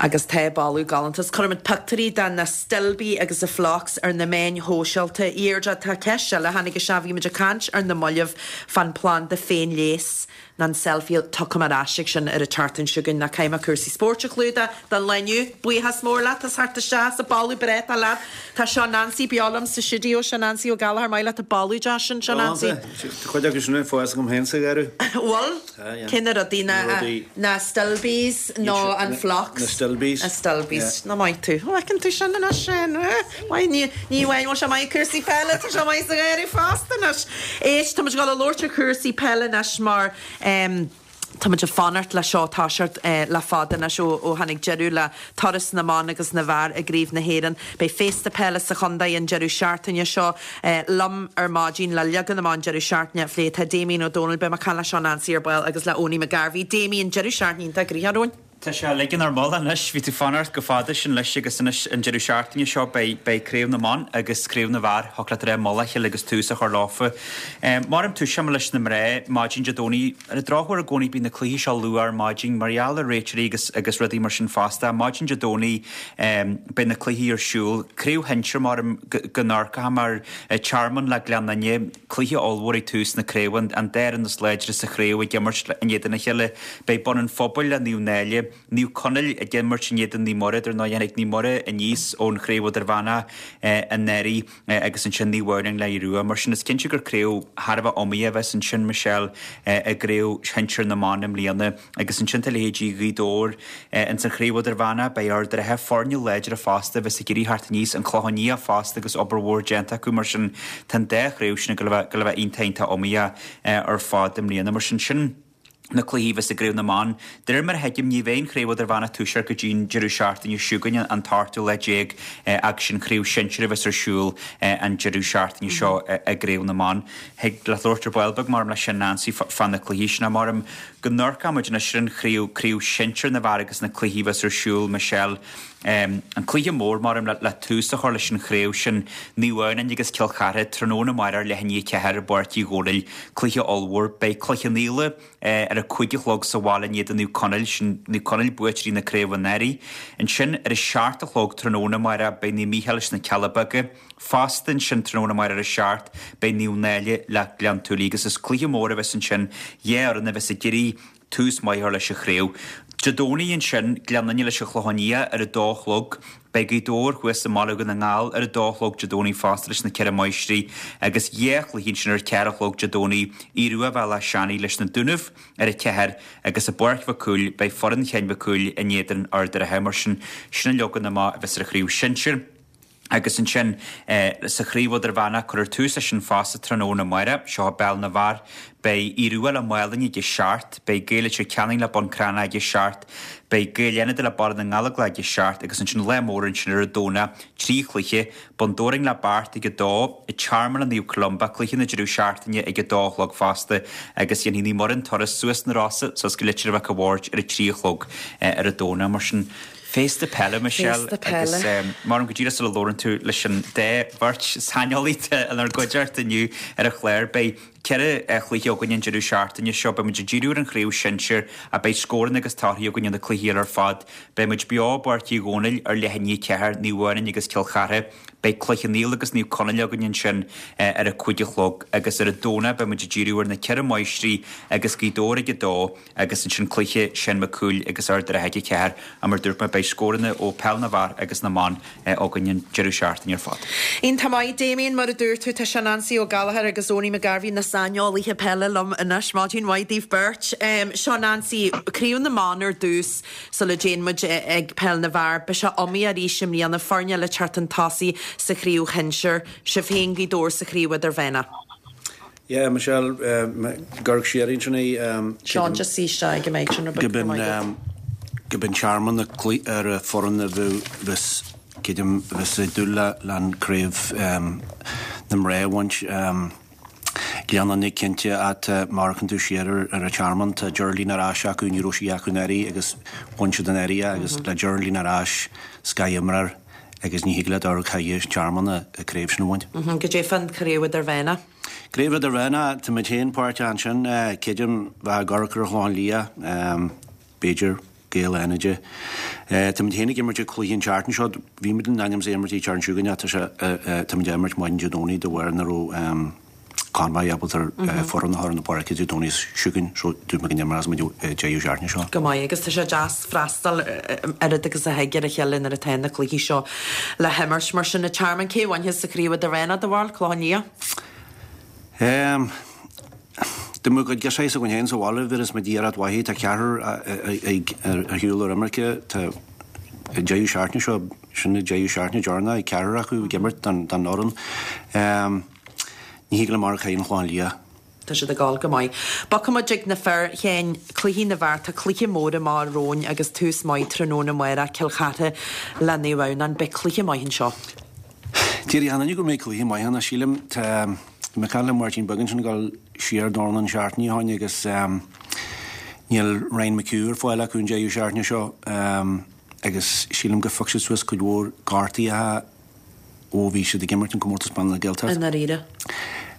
Agus tá boladh galánta. Is cuirfimid pictiúirí de na stilbí agus na phlox ar na meáin shóisialta. Deirdre, tá ceist eile a tháinig isteach, bhí muid ag caint ar na mallaibh fán phlanda féinleigheas. Nó an self-heal, tiocfaidh mé ar ais ag sin ar an tseachtain seo chugainn, ná caithfidh mé cúrsaí spóirt a chlúdach don lá inniu. Buíochas mór leat as theacht isteach is an boladh breá atá leat. Tá seo Nancy beo liom sa stiúideo, seo Nancy Ó Gallchóir, maith leat an boladh deas sin, seo Nancy. Tá cuid acu sin ag fás agam féin sa gharradh. Bhfuil? Cé na rudaí? Na stilbies nó an phlox? Na stilbies. Na stilbies. Nach maith tú. Feiceann tú sin anois sin. Maith, ní ní amháin bhfuil sé maith ag cúrsaí peile, tá sé maith sa gharradh fosta anois. Éist, tá muid ag dul a labhairt ar chúrsaí peile anois mar em tá muid ag fanacht le seo toiseacht le fada anois ó ó tháinig deireadh le turas na mban agus na bhfear i gCraobh na hÉireann. Beidh féasta peile sa chontae an deireadh seachtaine seo. Liom ar maidin le leagan amach an deireadh seachtaine a phlé tá Damien Ó Dónaill, beidh mé ag caint le seo Nancy ar ball agus le Owenie McGarvey. Damien, deireadh seachtaine iontach gnoitheach romhainn. Tá sé ag ligean ár mullach anois. Bhí tú fanacht go fada sin leis agus anois an deireadh seachtaine seo beidh beidh Craobh na mBan agus Craobh na bhFear, thiocfadh leat a rá i mullach a chéile agus tús a chur leofa. Maram toiseoidh mé leis na mná maidin Dé Domhnaigh. Ar an drochuair i gcónaí bíonn na cluichí seo luath ar maidin mar gheall ar réiteoirí agus agus rudaí mar sin fosta. Maidin Dé Domhnaigh beidh na cluichí ar siúl. Craobh Shinsir maram go go n-amharcfaidh mé ar Tearmann le Gleann Fhinne. Cluiche ollmhór ag tús na craoibhe, an dá fhoireann is láidre sa chraobh ag imirt in éadan a chéile. Beidh Bun an Phobail le Naomh Náille, Naomh Conaill ag imirt in éadan Naomh Muire, dar ndóigh tháinig Naomh Muire aníos ón chraobh idirmheánach anuraidh agus ansin Naomh Adhamhnáin le Aodh Rua. Mar sin is cinnte gur craobh thar a bheith iomaíoch a bheas ansin, Michelle, i gcraobh shinsir na mban i mbliana. Agus ansin tá leithéidí Ghaoth Dobhair ins an chraobh idirmheánach, beidh Ard an Rátha, foirne láidre fosta a bheas ag iarraidh theacht aníos, An Clochán Liath fosta agus obair mhór déanta acu mar sin tá an dá chraobh sin ag dul a bheith iontach iontach iomaíoch ar fad i mbliana. Mar sin, sin na cluichí a bheas i gcraobh na mban. De réir mar a thuigim ní bheidh an chraobh idirmheánach toiseacht go dtí an deireadh seachtaine seo chugainn, an t-ochtú lá déag agus sin craobh shinsir a bheas ar siúl an deireadh seachtaine seo i gcraobh na mban. Thig leat labhairt ar ball beag maram leis sin Nancy fá na cluichí sin maram go n-amharcfaidh muid anois ar an chraobh, craobh shinsir na bhfear agus na cluichí a bheas ar siúl, Michelle. An cluiche mór maram le le tús a chur leis an chraobh sin, Naomh Adhamhnáin agus Cill Chartha, tráthnóna amárach leath i ndiaidh a 4 i bPáirc Uí Dhónaill, cluiche ollmhór. Beidh Cloich Cheann Fhaola ar a 5 a chlog sa bhaile in éadan Naomh Conaill, sin Naomh Conaill buaiteoirí na craoibhe anuraidh. Ansin ar a 7 a chlog tráthnóna amárach beidh Naomh Mícheál leis na Cealla Beaga. Fosta ansin tráthnóna amárach ar a 7 beidh Naomh Náille le Gleann tSúilí agus is cluiche mór a bheas ansin, dhá fhoireann a bheas ag iarraidh tús maith a chur leis an chraobh. Dé Domhnaigh ansin, Gleann Fhinne leis an Chlochán Liath ar a dó a chlog. Beidh Gaoth Dobhair thuas i mBaile Dhún na nGall ar a dó a chlog Dé Domhnaigh fosta leis na Ceithre Máistrí agus dhá chluiche ansin ar a ceathair a chlog Dé Domhnaigh, Aodh Rua Bhéal Átha Seanaidh leis na Dúnaibh ar a ceathair agus i bPáirc Mhic Cumhaill beidh foireann Sheáin Mhic Cumhaill in éadan Ard an Rátha. Mar sin, sin an leagan amach a bheas ar an chraobh shinsir. Agus ansin sa chraobh idirmheánach, cuirfear tús leis sin fosta tráthnóna amárach, seo i bpeil na bhfear. Beidh Aodh Rua le Málainn ag a seacht, beidh Gaeil Leitir Ceanainn le Bun Cranncha ag a seacht, beidh Gaeil Fhánada le Baile na nGallóglach ag a seacht agus ansin lá mór ansin ar an Domhnach, trí chluiche, Bun Dobhráin le Beart ag a dó, Tearmann le Naomh Columba, cluiche na deireadh seachtaine ag a dó a chlog fosta agus dhéanfaidh Naomh Muire an turas suas na Rosa suas go Leitir Mhic a' Bhaird ar a trí a chlog ar an Domhnach. Mar sin. Féasta peile, Michelle, Féasta peile. agus maram go díreach sula labhrann tú leis an dá bheirt saineolaí inár gcuideachta inniu ar an chlár, beidh ceithre chluiche againn an deireadh seachtaine seo. Beidh muid ag díriú ar an chraobh shinsir ach beidh scóranna agus torthaí againn ar na cluichí eile ar fad. Beidh muid beo i bPáirc Uí Dhónaill ar leath i ndiaidh a ceathair, Naomh Adhamhnáin agus Cill Chartha. Beidh Cloich Cheann Fhaola agus Naomh Conaill againn ansin ar a cúig a chlog agus ar an Domhnach beidh muid ag díriú ar na Ceithre Máistrí agus Gaoth Dobhair ag a dó. Agus ansin cluiche Seán Mac Cumhaill agus Ard an Rátha ag a ceathair. Mar a dúirt mé, beidh scóranna ó peil na bhfear agus na mban againn an deireadh seachtaine ar fad. Iontach maith, Damien, mar a dúirt tú, tá sé Nancy Ó Gallchóir agus Owenie McGarvey, na saineolaithe peile liom anois. Maidin mhaith daoibh beirt. Seo Nancy, Craobh na mBan ar dtús sula dtéann muid ag peil na bhfear. Beidh sé iomaíoch arís i mbliana, foirne eile ag teacht chun tosaigh sa chraobh shinsir, sibh féin Gaoth Dobhair sa chraobh idirmheánach. Yeah, Michelle, ag amharc siar ansin é. Seán, just suigh isteach ag an mic sin rud beag, go raibh maith agat. Gurb in Tearmann ar an foireann a bheas, creidim, a bheas ag dúil le an craobh na mná a bhaint. Gleann Fhinne cinnte ach má amharcann tú siar ar an Tearmann, tá Geraldine ar ais acu, ní raibh sí acu anuraidh agus bhain siad anuraidh é agus le Geraldine ar ais, scoth-imreoir agus ní thig leat amharc chuige Tearmann an craobh sin a bhaint. Goidé fán chraobh idirmheánach. Craobh idirmheánach, tá muid féin páirteach ansin, creidim, bheith ag amharc ar an Chlochán Liath, b'fhéidir, Gaeil Fhánada. Tá muid féin ag imirt ag cluiche an tseachtain seo, bhí muid in ainm is a imirt an tseachtain seo chugainn ach tá sé, tá muid ag imirt maidin Dé Domhnaigh de bharr nach raibh Conmhaigh ábalta foireann a chur chun na páirce Dé Domhnaigh seo chugainn so dúirt muid go n-imreos muid an deireadh seachtaine seo. Go maith agus tá sé deas freastal oiread agus a thig ar a chéile nuair atá na cluichí seo le himirt. Mar sin, an Tearmann, cé a bhainfeas an chraobh idirmheánach, do bharúil, Clochán Liath? Ehm, dá mbeadh cuid girseachaí s'againn féin sa bhaile, bhéarfas muid iarracht mhaith, tá ceathrar ag ar shiúl ar imirce, tá an deireadh seachtaine seo, sin an deireadh seachtaine deireanach ag ceathrar acu ag imirt don fhoireann. Ehm, ní thig liom amharc chuig an Chlochán Liath. Tá siad ag dul go maith. Bogfaidh muid ag na fir, a Sheáin, cluichí na bhfear. Tá cluiche mór amach romhainn agus tús maith tráthnóna amárach, Cill Chartha le Naomh Adhamhnáin. Beidh cluiche maith anseo. Déarfaidh achan duine go mbeidh cluiche maith ann ach sílim, tá mé ag caint le Máirtín Beag ansin ag dul siar dornán seachtainí ó shoin agus níl Ryan McHugh ar fáil acu an deireadh seachtaine seo agus sílim gur phioc siad suas cuid mhór gortuithe ó bhí siad ag imirt an Comórtas Peile na Gaeltachta. I ndáiríre.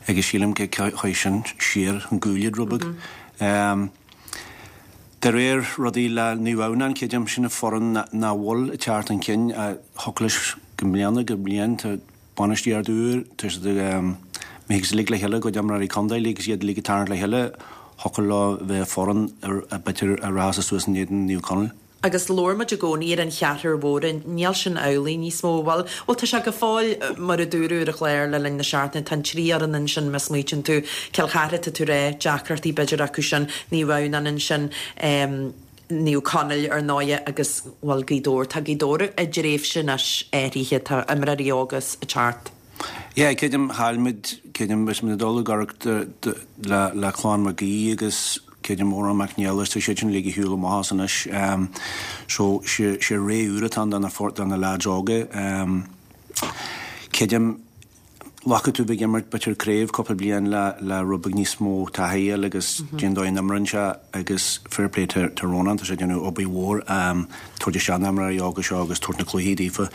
Agus sílim go chuaigh sin siar chun gcúil iad rud beag. De réir rudaí le Naomh Adhamhnáin, creidim, sin an foireann nach bhfuil ag teacht chun cinn a thiocfadh leis go mbliana go bliain. Tá bainistíocht úr, tá siad ag, má thig siad uilig le chéile, a gcuid imreoirí contae uilig agus iad uilig ag tarraingt le chéile, thiocfadh leo bheith foireann a b'fhéidir a rachas suas in éadan Naomh Conaill. Agus labhair muid i gcónaí ar an cheathrar mhór, níl sin amhlaidh níos mó. Bhuel, bhuel tá sé go fóill, mar a dúradh ar an chlár le linn na seachtaine, tá an trí fhoireann ansin má smaoitíonn tú, Cill Chartha, tá tú ag rá, deacrachtaí b'fhéidir acu sin, Naomh Adhamhnáin ansin, Naomh Conaill ar ndóighe agus, bhuel, Gaoth Dobhair. Tá Gaoth Dobhair i dtréimhse anois áirithe, tá imreoirí óga ag teacht. Yeah, creidim, chaill muid, creidim, bhí muid ag dul ag amharc le, le Clann Mac Aoidh agus creidim Odhrán Mac Niallais, tá siad sin uilig ag shiúl amach as anois. So, sé, sé ré úr atá ann do na, do na lads óga. Creidim, ghlacfadh tú bheith ag imirt b'fhéidir craobh cúpla bliain le, le rud beag níos mó taithí a fháil agus cén dóigh a n-imríonn sé agus fair play to, to Rónán, tá sé ag déanamh obair mhór, tabhairt isteach na himreoirí óga seo agus tabhairt na cluichí daofa.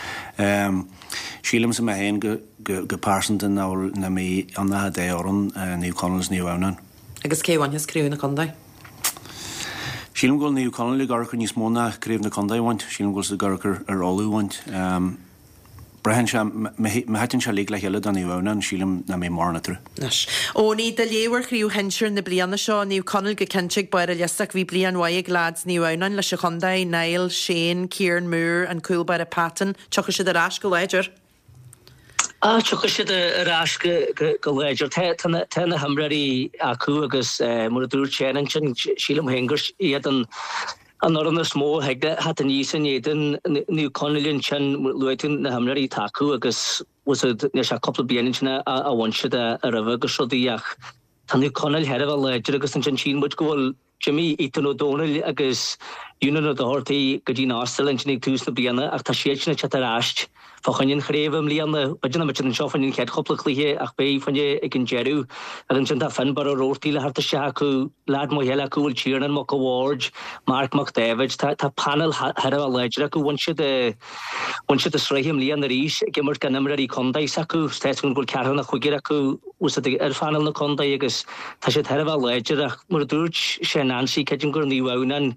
Sílimse mé féin go pearsanta nach mbeidh ann ach an dá fhoireann, Naomh Conaill is Naomh Adhamhnáin. Agus cé a bhainfeas Craobh na Contae? Sílim go bhfuil Naomh Conaill ag amharc ar níos mó ná Craobh na Contae a bhaint, sílim go bhfuil siad ag amharc ar Uladh a bhaint. Braitheann sé, má thiteann sé uilig le chéile do Naomh Adhamhnáin, sílim nach mbeidh mórán eatarthu. Anois, Owenie, do léamh ar chraobh shinsir na bliana seo, Naomh Conaill go cinnte ag barr an liosta ach bhí bliain mhaith ag leaids Naomh Adhamhnáin leis an chontae, Niall, Shane, Kieran Moore, an cúl báire Patton, tiocfaidh siad ar ais go láidir. Ah, tiocfaidh siad ar ais go láidir. Tá na himreoirí acu agus mar a dúirt Shane ansin, sílim féin gur iad an fhoireann is mó a thig le theacht aníos in éadan Naomh Conaill ansin, luaigh tú na himreoirí atá acu agus bhfuil a fhios agat, níl sé cúpla bliain ansin a bhain siad roimhe agus rudaí ach tá Naomh Conaill thar a bheith láidir agus ansin tchíonn muid go bhfuil D'imigh Ethan Ó Dónaill agus Eunan Ó Dochartaigh go dtí an Astráil ansin ag tús na bliana ach tá siad sin ag teacht ar ais fá choinne an chraobh i mbliana. B'fhéidir nach mbeidh siad anseo fá choinne an chéad chúpla cluiche ach beidh fá choinne ag an deireadh. Agus ansin tá Finbarr Ó Roarty le theacht isteach acu, leaid maith eile acu bhfuil Tiarnán Mac a' Bhaird, Marc Mac Dáibhid. Tá tá panel thar a bheith láidir acu. Bhain siad bhain siad an sraith i mbliana arís ag imirt gan imreoirí contae s'acu. Tá a fhios agam go bhfuil ceathrar nó cúigear acu bhfuil a fhios agat ar phanel na contae agus tá siad thar a bheith láidir ach mar a dúirt Shane Nancy, creidim gur Naomh Adhamhnáin,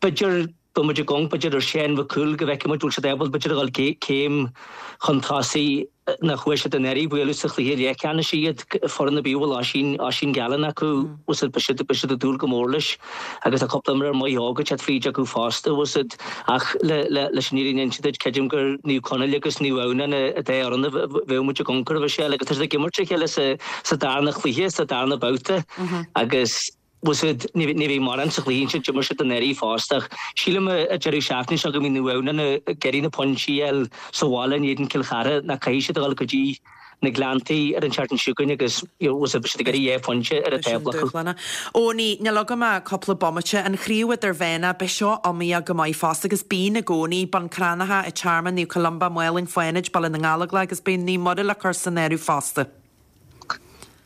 b'fhéidir, beidh muid ag amharc b'fhéidir ar Shane Mac Cumhaill go bhfeicfidh muid bhfuil siad ábalta b'fhéidir a dhul céim chun tosaigh ná chuaigh siad anuraidh, buaileadh sa chluiche leathcheannais iad, foireann ar bith a bhfuil Oisín, Oisín Gallen acu, bhfuil a fhios agat, beidh siad, beidh siad ag dúil go mór leis agus tá cúpla imreoir maith óg ag teacht fríd acu fosta, bhfuil a fhios agat. Ach le leis an fhírinne a inse duit, creidim gur Naomh Conaill agus Naomh Adhamhnáin an dá fhoireann a bheadh muid ag amharc orthu, a Mhichelle, agus tá siad ag imirt a chéile sa darna chluiche, sa darna babhta agus bhfuil a fhios agat, ní bheidh mórán sa chluiche ansin, d'imir siad anuraidh fosta ach sílim an deireadh seachtaine seo go mbeidh Naomh Adhamhnáin ag iarraidh na pointí a fháil sa bhaile in éadan Cill Chartha nach caithfidh siad a dhul go dtí. Na Gleanntaí ar an tseachtain seo chugainn agus you know beidh siad ag iarraidh dhá phointe ar an Sin tábla acu. dúshlán. Owenie, níl agam ach cúpla bomaite. An chraobh idirmheánach, beidh seo iomaíoch go maith fosta agus bíonn i gcónaí. Bun Cranncha, An Tearmann, Naomh Columba, Málainn, Fánaid, Baile na nGallóglach agus beidh Naomh Muire le cur san áireamh fosta.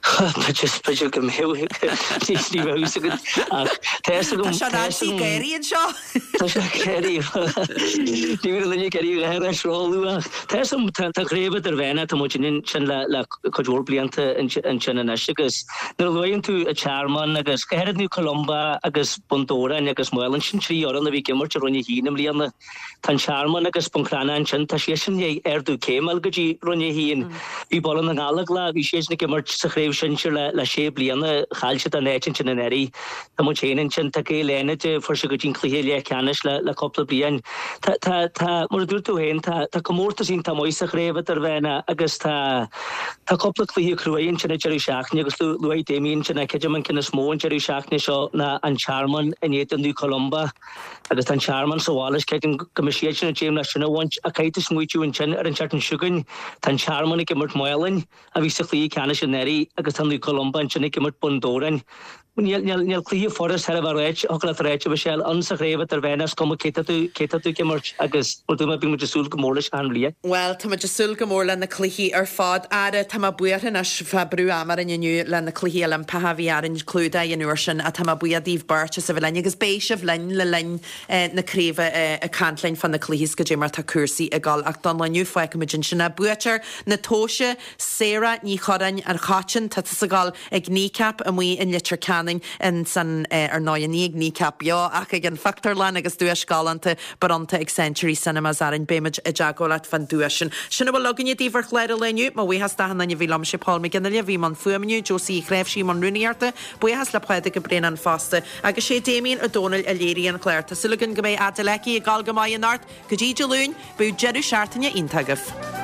B'fhéidir go mbeadh, ní bheadh fhios agat ach tá fhios agam, Tá sé tá fhios ag agam, gáirí anseo. tá sé ag gáirí, ní bhíonn duine ag iarraidh a bheith ar ais róluath ach tá fhios agam, tá craobh idirmheánach, tá muid ansin le cuid mhór blianta ansin anois agus nuair a luaigheann tú an Tearmann agus go háirid Naomh Columba agus Bun Dobhráin agus Málainn, sin trí fhoireann a bhí ag imirt i Roinn 1 i mbliana. Tá an Tearmann agus Bun Cranncha ansin, tá siadsan i ndiaidh ardú céime a fháil go dtí Roinn 1. Bhí Baile na nGallóglach, bhí siadsan ag imirt sa chraobh shinsir le le sé bliana, chaill siad an áit ansin anuraidh. Tá muid féin ansin, tá Gaeil Fhánaide, fuair siad go dtí an cluiche leathcheannais le le cúpla bliain. Tá, tá, tá, mar a dúirt tú féin, tá, tá comórtas iontach maith sa chraobh idirmheánach agus tá, tá cúpla cluiche cruaidh ansin ag deireadh seachtaine agus luaigh Damien ansin, creidim an ceann is mó an deireadh seachtaine seo ná an Tearmann in éadan Naomh Columba. Agus tá an Tearmann sa bhaile is creidim go mbeidh siadsan ag dréim leis sin a bhaint ach caithfidh tú smaoitiú ansin ar an tseachtain seo chugainn tá an Tearmann ag imirt Málainn a bhí sa chluiche ceannais anuraidh agus tá Naomh Columba ansin ag imirt Bun Dobhráin. Níl, níl, níl cluiche furast thar a bheith ráite, thiocfadh leat a ráite Michelle, ann sa chraobh idirmheánach is cuma cé tá tú, cé tá tú ag imirt agus mar dúirt mé bíonn muid ag súil go mór leis achan bhliain. Bhuel, tá muid ag súil go mór le na cluichí ar fad. Ara, tá mé buartha anois fá brú ama orainn inniu le na cluichí Oilimpeacha a bhí orainn clúdach an uair sin ach tá mé buíoch daoibh beirt as a bheith linn agus beidh sibh linn le linn na craoibhe ag caint linn fá na cluichí is goidé mar tá cúrsaí ag dul ach don lá inniu fágfaimid ansin é. Buaiteoir na tomhaise, Sarah Ní Churráin, an Choiteann, tá tusa ag dul ag Kneecap amuigh in Leitir Ceanainn ansan ar ndóigh ní ag Kneecap beo ach ag an phictiúrlann agus duais galánta bronnta ag Century Cinemas orainn. Beimid i dteagmháil leat fán duais sin. Sin a bhfuil againne daoibh ar chlár an lae inniu. Mo bhuíochas d'achan duine a bhí liom. Sé Paul McGinley a bhí i mbun fuaime inniu, Josie Uí Chnáimhsí i mbun rúnaíochta, buíochas le Pádraig Ó Braonáin fosta, agus sé Damien Ó Dónaill a léirigh an clár. Tá súil againn go mbeidh Adeleke ag dul go maith anocht. Go dtí Dé Luain, bíodh deireadh seachtaine iontach agaibh.